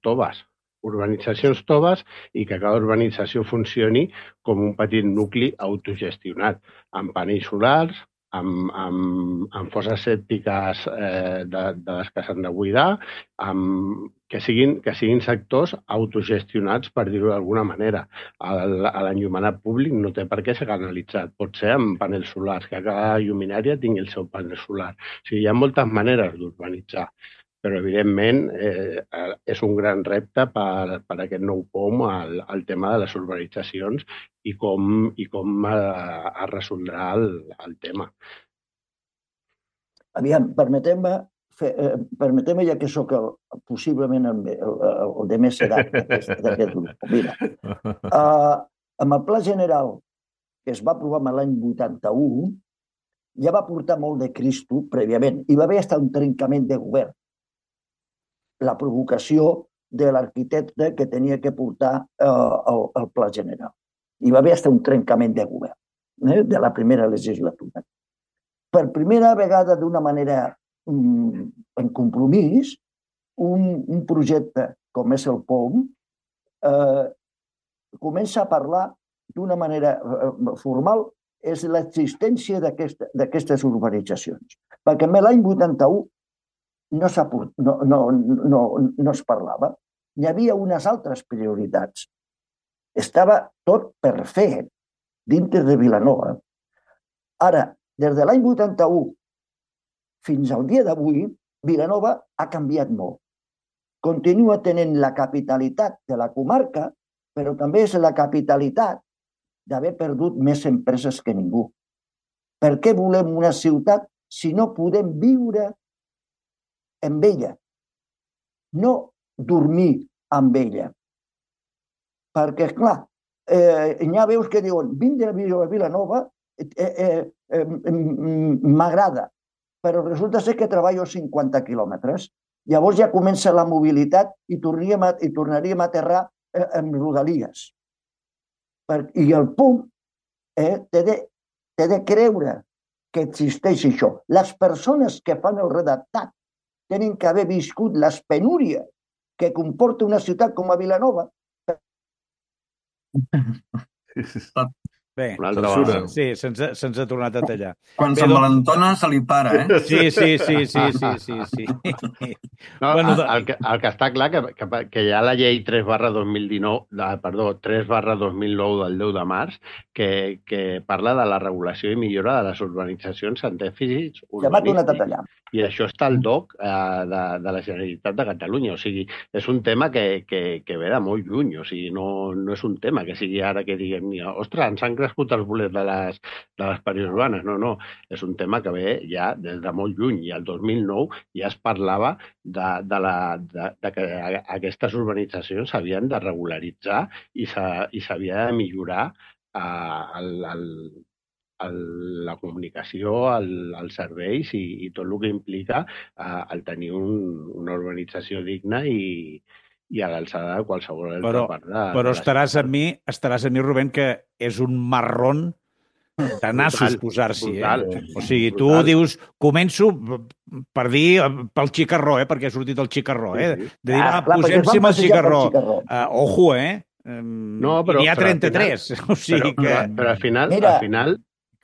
toves i que cada urbanització funcioni com un petit nucli autogestionat, amb panells solars, amb fosses sèptiques de les que s'han de buidar, que siguin sectors autogestionats, per dir-ho d'alguna manera. L'enllumenat públic no té per què ser canalitzat. Pot ser amb panells solars, que cada lluminària tingui el seu panel solar. O sigui, hi ha moltes maneres d'urbanitzar, però, evidentment, és un gran repte per aquest nou POUM el tema de les urbanitzacions i com es resoldrà el tema. Aviam, permeteu-me, ja que sóc possiblement el de més edat d'aquest grup. Mira, amb el Pla General que es va aprovar l'any 81, ja va portar molt de Cristo prèviament. Hi va haver fins un trencament de govern. La provocació de l'arquitecte que tenia que portar el Pla General. Hi va haver fins un trencament de govern de la primera legislatura. Per primera vegada, d'una manera en compromís, un projecte com és el POUM comença a parlar d'una manera formal és l'existència d'aquestes urbanitzacions. Perquè l'any 81 no es parlava. Hi havia unes altres prioritats. Estava tot per fer dintre de Vilanova. Ara, des de l'any 81 fins al dia d'avui, Vilanova ha canviat molt. Continua tenint la capitalitat de la comarca, però també és la capitalitat d'haver perdut més empreses que ningú. Per què volem una ciutat si no podem viure amb ella? No dormir amb ella. Perquè, clar, hi ha veus que diuen vindre a Vilanova m'agrada, però resulta ser que treballo 50 quilòmetres. Llavors ja comença la mobilitat i tornaríem a aterrar en rodalies. I el punt té de creure que existeix això. Les persones que fan el redactat tenen que haver viscut les penúries que comporta una ciutat com a Vilanova. Bé, sí, se'ns ha tornat a tallar. Quan s'envalentona se li para, eh? Sí. No, bueno, el que està clar que hi ha la llei 3/2009 del 10 de març que parla de la regulació i millora de les urbanitzacions en dèficits urbanístics. I això està al DOC de la Generalitat de Catalunya. O sigui, és un tema que ve de molt lluny. O sigui, no és un tema que sigui ara que diguem, ostres, ens han crescut els bolets de les periurbanes. No. És un tema que ve ja des de molt lluny. I el 2009 ja es parlava de que aquestes urbanitzacions s'havien de regularitzar i s'havia de millorar la comunicació, els serveis i tot el que implica el tenir una urbanització digna i a l'alçada de qualsevol altra part de però estaràs amb mi, Rubén, que és un marrón de nassos posar-s'hi. O sigui, tu dius, començo per dir pel xicarró, perquè ha sortit el xicarró, de dir, posem-s'hi amb el xicarró. Ojo, n'hi ha 33. O sigui que... Però al final,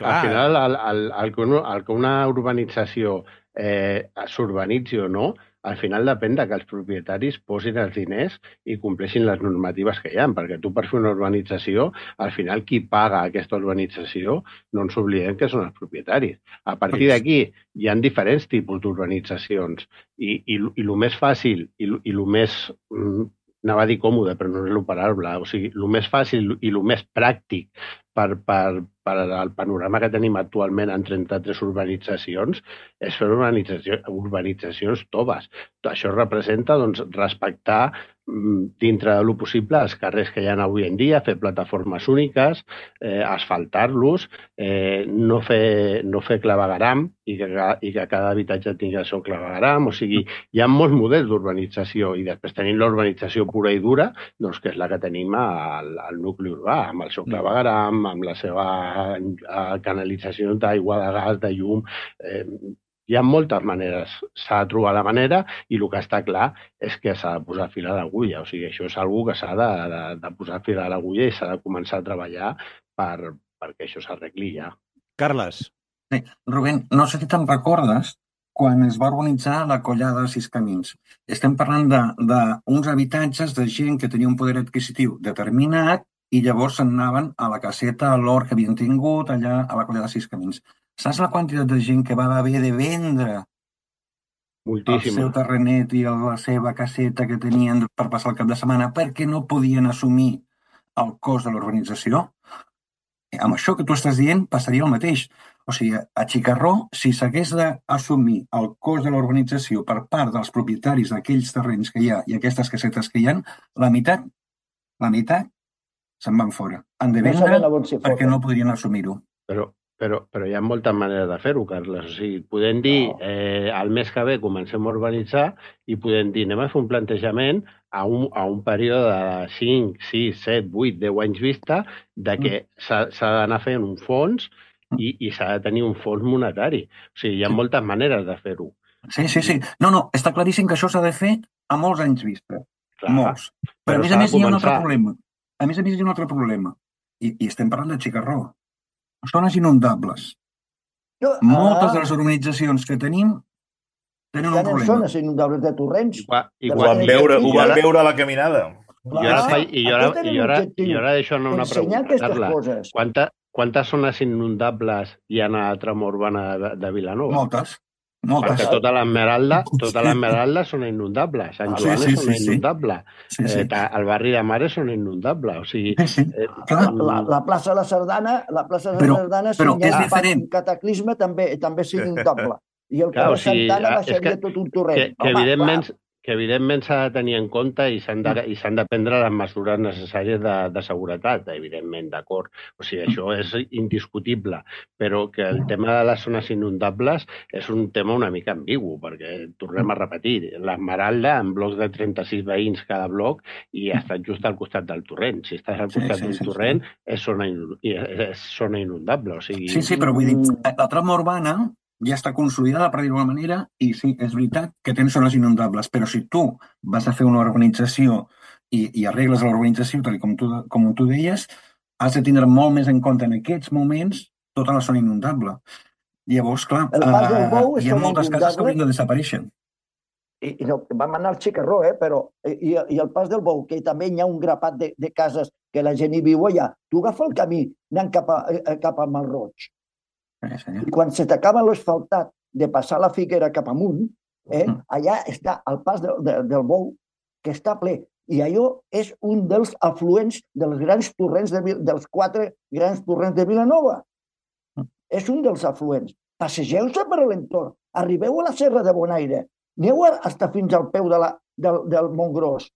el que una urbanització s'urbanitzi o no, al final depèn que els propietaris posin els diners i compleixin les normatives que hi ha, perquè tu per fer una urbanització, al final qui paga aquesta urbanització no ens oblidem que són els propietaris. A partir d'aquí hi ha diferents tipus d'urbanitzacions i el més fàcil i el més... anava a dir còmode, però no és l'operable. O sigui, el més fàcil i el més pràctic per al panorama que tenim actualment en 33 urbanitzacions és fer urbanitzacions toves. Això representa respectar dintre de lo possible els carrers que hi ha avui en dia, fer plataformes úniques, asfaltar-los, no fer clavegueram i que cada habitatge tingui el seu clavegueram. O sigui, hi ha molts models d'urbanització i després tenim l'urbanització pura i dura, que és la que tenim al nucli urbà, amb el seu clavegueram, amb la seva canalització d'aigua, de gas, de llum. Hi ha moltes maneres, s'ha de trobar la manera i el que està clar és que s'ha de posar fil a l'agulla. O sigui, això és una cosa que s'ha de posar fil a l'agulla i s'ha de començar a treballar perquè això s'arregli ja. Carles. Sí, Rubén, no sé si te'n recordes quan es va urbanitzar la Collada de Sis Camins. Estem parlant d'uns habitatges de gent que tenia un poder adquisitiu determinat i llavors se'n anaven a la caseta, a l'hort que havien tingut allà a la Collada de Sis Camins. Saps la quantitat de gent que va haver de vendre el seu terrenet i la seva caseta que tenien per passar el cap de setmana perquè no podien assumir el cost de l'urbanització? Amb això que tu estàs dient passaria el mateix. O sigui, a Xicarró, si s'hagués d'assumir el cost de l'urbanització per part dels propietaris d'aquells terrenys que hi ha i aquestes casetes que hi ha, la meitat se'n van fora. Han de vendre perquè no podrien assumir-ho. Però hi ha moltes maneres de fer-ho, Carles. O sigui, podem dir, el mes que ve comencem a urbanitzar i podem dir, anem a fer un plantejament a un període de 5, 6, 7, 8, 10 anys vista de que s'ha d'anar fent un fons i s'ha de tenir un fons monetari. O sigui, hi ha moltes maneres de fer-ho. Sí. No, està claríssim que això s'ha de fer a molts anys vista. Molts. Però a més hi ha un altre problema. I estem parlant de Xicarró. Zones inundables. Moltes de les urbanitzacions que tenim tenen un estan en problema. zones inundables de torrents. Ho van veure a la caminada. I ara d'això anar una pregunta, Carla. Coses. Quantes zones inundables hi ha a la trama urbana de Vilanova? Moltes. Perquè tota l'Esmeralda són inundables. Sant Joan és una inundable. El barri de Mares són inundables. O sigui, la plaça de la Sardana, si hi ha un cataclisme, també és inundable. I el carrer Santana baixaria tot un torrent. Que evidentment s'ha de tenir en compte i s'han de prendre les mesures necessàries de seguretat, evidentment, d'acord. O sigui, això és indiscutible, però que el tema de les zones inundables és un tema una mica ambigu, perquè tornem a repetir, l'Esmeralda, en blocs de 36 veïns cada bloc, i està just al costat del torrent. Si estàs al costat d'un torrent, és zona inundable. Sí, però vull dir, la trama urbana ja està consolidada, per dir-ho d'alguna manera, i sí, és veritat que tens zones inundables, però si tu vas a fer una urbanització i arregles l'urbanització, tal com tu deies, has de tindre molt més en compte en aquests moments tota la zona inundable. Llavors, clar, hi ha moltes cases que haurien de desaparèixer. I vam anar al Xicarró, però i el Pas del Bou, que també hi ha un grapat de cases que la gent hi viu allà. Tu agafa el camí anant cap a Malroig. I quan se t'acaba l'asfaltat de passar la Figuera cap amunt, allà està el Pas del Bou, que està ple. I allò és un dels afluents dels grans torrents, dels 4 grans torrents de Vilanova. És un dels afluents. Passegeu-se per l'entorn. Arribeu a la Serra de Bonaire. Aneu fins al peu del Montgròs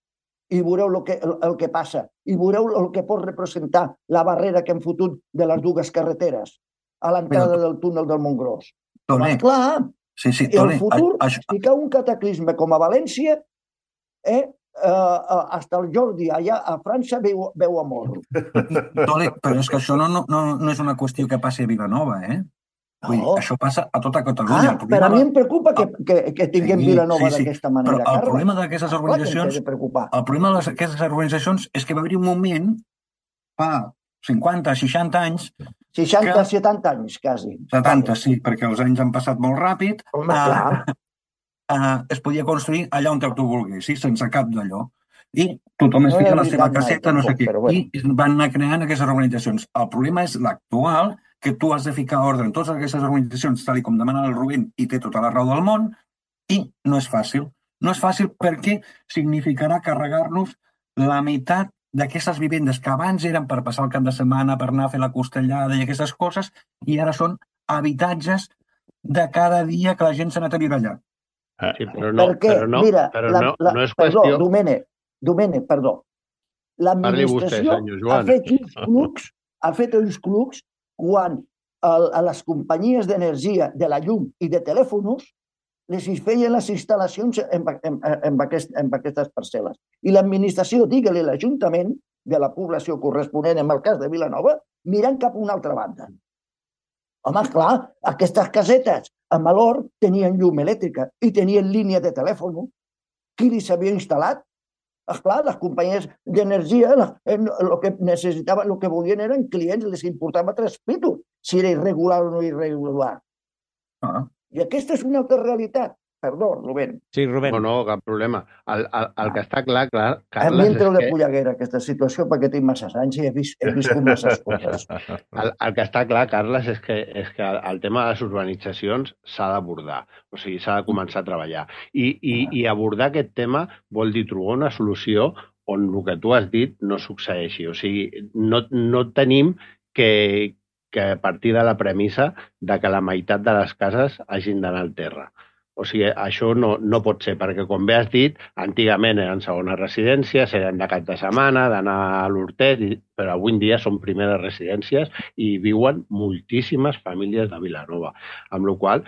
i veureu el que passa. I veureu el que pot representar la barrera que hem fotut de les dues carreteres a l'entrada del túnel del Montgròs. Clar, i el futur, si cau un cataclisme com a València, hasta el Jordi allà a França veu a mort. Però és que això no és una qüestió que passi a Vilanova, Això passa a tota Catalunya. Però a mi em preocupa que tinguem Vilanova d'aquesta manera. Però el problema d'aquestes organitzacions és que va haver un moment, fa 50, 60 anys... 60, 70 anys, quasi. 70, sí, perquè els anys han passat molt ràpid. Es podia construir allà on tu vulguis, sense cap d'allò. I tothom es fica la seva caseta, no sé què. I van anar creant aquestes organitzacions. El problema és l'actual, que tu has de ficar ordre en totes aquestes organitzacions, tal com demana el Rubén, i té tota la raó del món, i no és fàcil. No és fàcil perquè significarà carregar-nos la meitat d'aquestes vivendes que abans eren per passar el cap de setmana, per anar a fer la costellada i aquestes coses, i ara són habitatges de cada dia que la gent s'ha anat a viure allà. Mira, no és qüestió... Domènec, perdó. L'administració ha fet uns clubs quan a les companyies d'energia, de la llum i de telèfons les feien les instal·lacions en aquestes parcel·les. I l'administració, digue-li l'Ajuntament de la població corresponent, en el cas de Vilanova, mirant cap a una altra banda. Home, clar, aquestes casetes a Malor tenien llum elèctrica i tenien línia de telèfon. Qui li s'havia instal·lat? Esclar, les companyies d'energia el que necessitaven, el que volien eren clients, les importava 3 pitos, si era irregular o no irregular. I aquesta és una altra realitat. Perdó, Rubén. Sí, Rubén. No, cap problema. El que està clar, Carles... A mi em treu de polleguera aquesta situació perquè tinc massa anys i he viscut masses coses. El que està clar, Carles, és que el tema de les urbanitzacions s'ha d'abordar. O sigui, s'ha de començar a treballar. I abordar aquest tema vol dir trobar una solució on el que tu has dit no succeeixi. O sigui, no tenim que partir de la premissa de que la meitat de les cases hagin d'anar al terra. O sigui, això no pot ser, perquè, com bé has dit, antigament eren segones residències, eren de cap de setmana, d'anar a l'Hortet, però avui en dia són primeres residències i viuen moltíssimes famílies de Vilanova. Amb la qual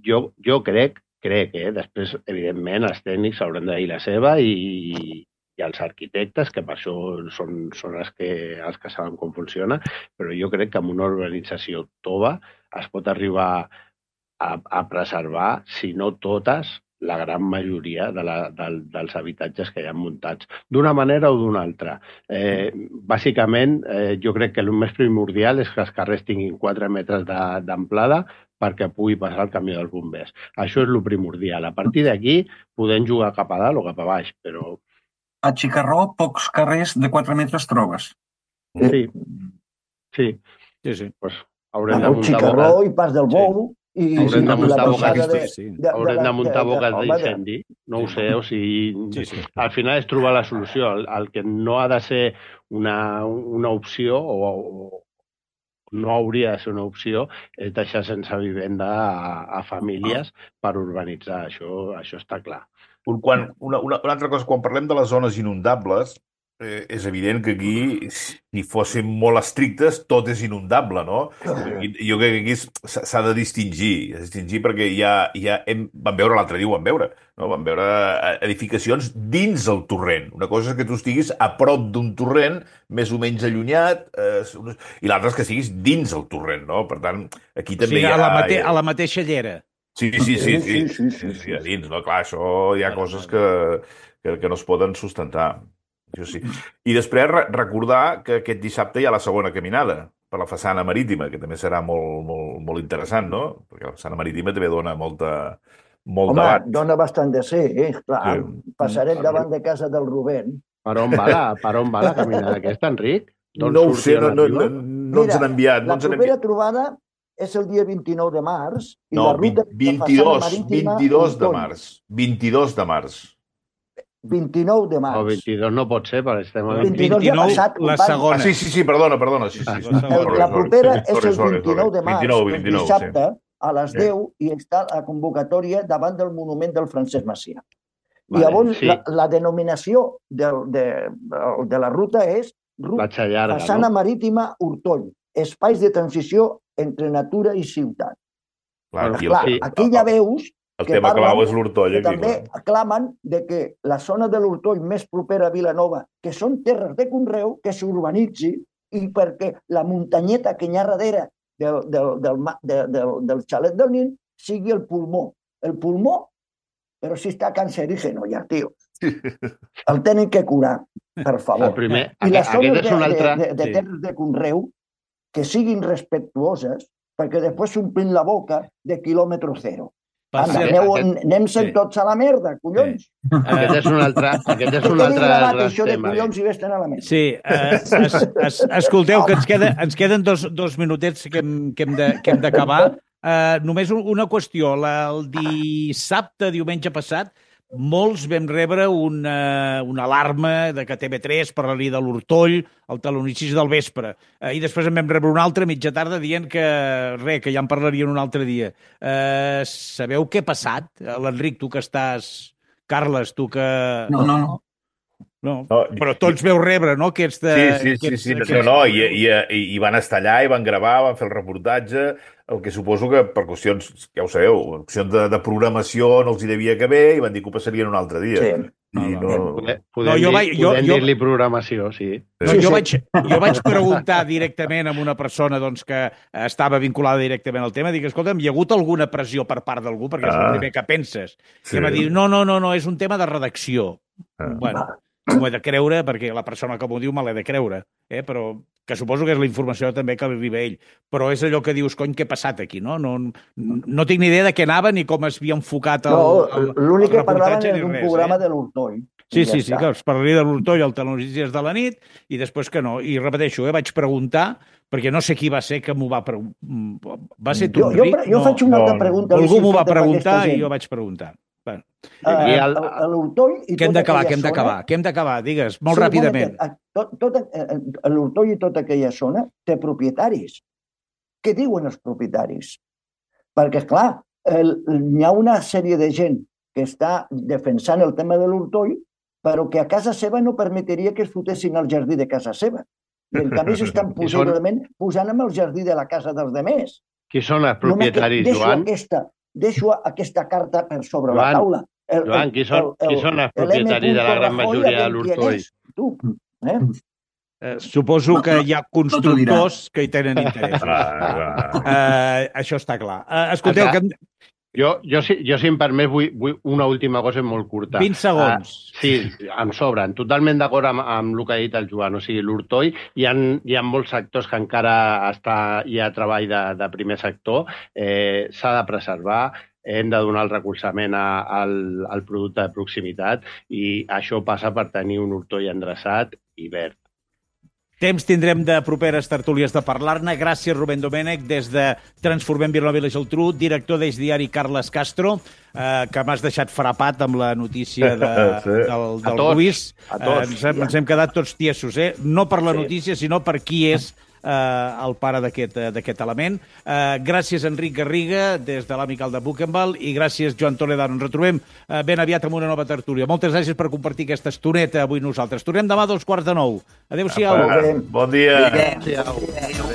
jo crec, després, evidentment, els tècnics hauran de dir la seva i els arquitectes, que per això són els que saben com funciona, però jo crec que amb una urbanització tova es pot arribar a preservar, si no totes, la gran majoria dels habitatges que hi ha muntats, d'una manera o d'una altra. Bàsicament, jo crec que el més primordial és que els carrers tinguin 4 metres d'amplada perquè pugui passar el camió dels bombers. Això és el primordial. A partir d'aquí podem jugar cap a dalt o cap a baix, però... A Xicarró, pocs carrers de 4 metres trobes. Sí. Pues haurem de muntar Xicarró i Pas del Bou i haurem de muntar haurem de muntar boques d'incendi. No ho sé, o sigui... Al final és trobar la solució. El que no ha de ser una opció o no hauria de ser una opció és deixar sense vivenda a famílies per urbanitzar. Això està clar. Una altra cosa, quan parlem de les zones inundables, és evident que aquí, si fóssim molt estrictes, tot és inundable, no? Jo crec que aquí s'ha de distingir perquè vam veure l'altre dia, vam veure edificacions dins el torrent. Una cosa és que tu estiguis a prop d'un torrent, més o menys allunyat, i l'altra és que estiguis dins el torrent, no? Per tant, aquí també hi ha... A la mateixa llera. Sí, a dins, no? Clar, això hi ha coses que no es poden sustentar. Això sí. I després recordar que aquest dissabte hi ha la segona caminada per la façana marítima, que també serà molt interessant, no? Perquè la façana marítima també dona molt debat. Home, dona bastant de ser, clar. Sí. Passarem davant de casa del Rubén. Per on va la caminada aquesta, Enric? No ho sé, no ens han enviat. La propera trobada és el dia 29 de març i la ruta de façana marítima... 22 de març. 22 de març. 29 de març. O 22 no pot ser, perquè estem a 29 ja passat. La segona. Sí, perdona. Sí. La propera és el 29 de març, el dissabte, a les 10, i està la convocatòria davant del monument del Francesc Macià. I llavors la denominació de la ruta és façana marítima Hortoll, espais de transició entre natura i ciutat. Aquí ja veus el tema clau és l'Hortoll. També aclamen que la zona de l'Hortoll més propera a Vilanova, que són terres de conreu, que s'urbanitzi, i perquè la muntanyeta que hi ha darrere del xalet del Nin sigui el pulmó. El pulmó, però si està cancerígeno ja, tio. El tenen que curar, per favor. I les zones de terres de conreu que siguin respectuoses, perquè després s'omplin la boca de quilòmetre zero. Anem-se'n tots a la merda, collons. Aquest és un altre això de collons i vés-te'n a la merda. Sí, escolteu, que ens queden dos minutets que hem d'acabar. Només una qüestió. El diumenge passat, molts vam rebre una alarma de que TV3 parlaria de l'Hortoll al talonicis del vespre. I després en vam rebre una altra mitja tarda dient que ja en parlarien un altre dia. Sabeu què ha passat? L'Enric, tu que estàs... Carles, tu que... No, però tots veu rebre, no? Sí. I van estar allà i van gravar, van fer el reportatge, el que suposo que per qüestions, ja ho sabeu, qüestions de programació no els hi devia caber i van dir que ho passarien un altre dia. Sí. Podem dir-li programació, sí. Jo vaig preguntar directament a una persona que estava vinculada directament al tema, dic, escolta'm, hi ha hagut alguna pressió per part d'algú? Perquè és el primer que penses. I em va dir, no, és un tema de redacció. Bueno, m'ho he de creure, perquè la persona que m'ho diu me l'he de creure, però que suposo que és la informació també que li arriba a ell. Però és allò que dius, cony, què ha passat aquí, no? No tinc ni idea de què anava ni com es havia enfocat el reportatge. L'únic que parlaven era d'un programa de l'Hortoll. Sí, que es parlaria de l'Hortoll al Telenotícies de la nit i després que no. I repeteixo, vaig preguntar, perquè no sé qui va ser que m'ho va preguntar. Va ser tu, Enric? Jo faig una altra pregunta. Algú m'ho va preguntar i jo vaig preguntar. L'Hortoll i què hem d'acabar? Digues, molt ràpidament. L'Hortoll i tota aquella zona té propietaris. Què diuen els propietaris? Perquè, clar, hi ha una sèrie de gent que està defensant el tema de l'Hortoll, però que a casa seva no permetria que es fotessin al jardí de casa seva. I en canvi s'estan possiblement posant amb el jardí de la casa dels demés. Qui són els propietaris, Joan? Deixo aquesta carta per sobre la taula. Joan, qui són els propietaris de la gran majoria de l'Hortoll? Suposo que hi ha constructors que hi tenen interès. Això està clar. Escolteu, Jo, si em permet, vull una última cosa molt curta. 20 segons. Sí, em sobren. Totalment d'acord amb el que ha dit el Joan. O sigui, l'Hortoi, hi ha molts sectors que encara hi ha treball de primer sector. S'ha de preservar, hem de donar el recolzament al producte de proximitat i això passa per tenir un Hortoi endreçat i verd. Temps tindrem de properes tertúlies de parlar-ne. Gràcies, Rubén Domènech, des de Transformem Vilanova i la Geltrú, director d'Eix Diari, Carles Castro, que m'has deixat frapat amb la notícia del Ruiz. Ens hem quedat tots tiesos, no per la notícia, sinó per qui és el pare d'aquest element. Gràcies, Enric Garriga, des de l'Amical de Buchenwald, i gràcies, Joan Toledano. Ens retrobem ben aviat amb una nova tertúlia. Moltes gràcies per compartir aquesta estoneta avui nosaltres. Tornem demà a 8:45. Adéu-siau. Bon dia. Adéu-siau.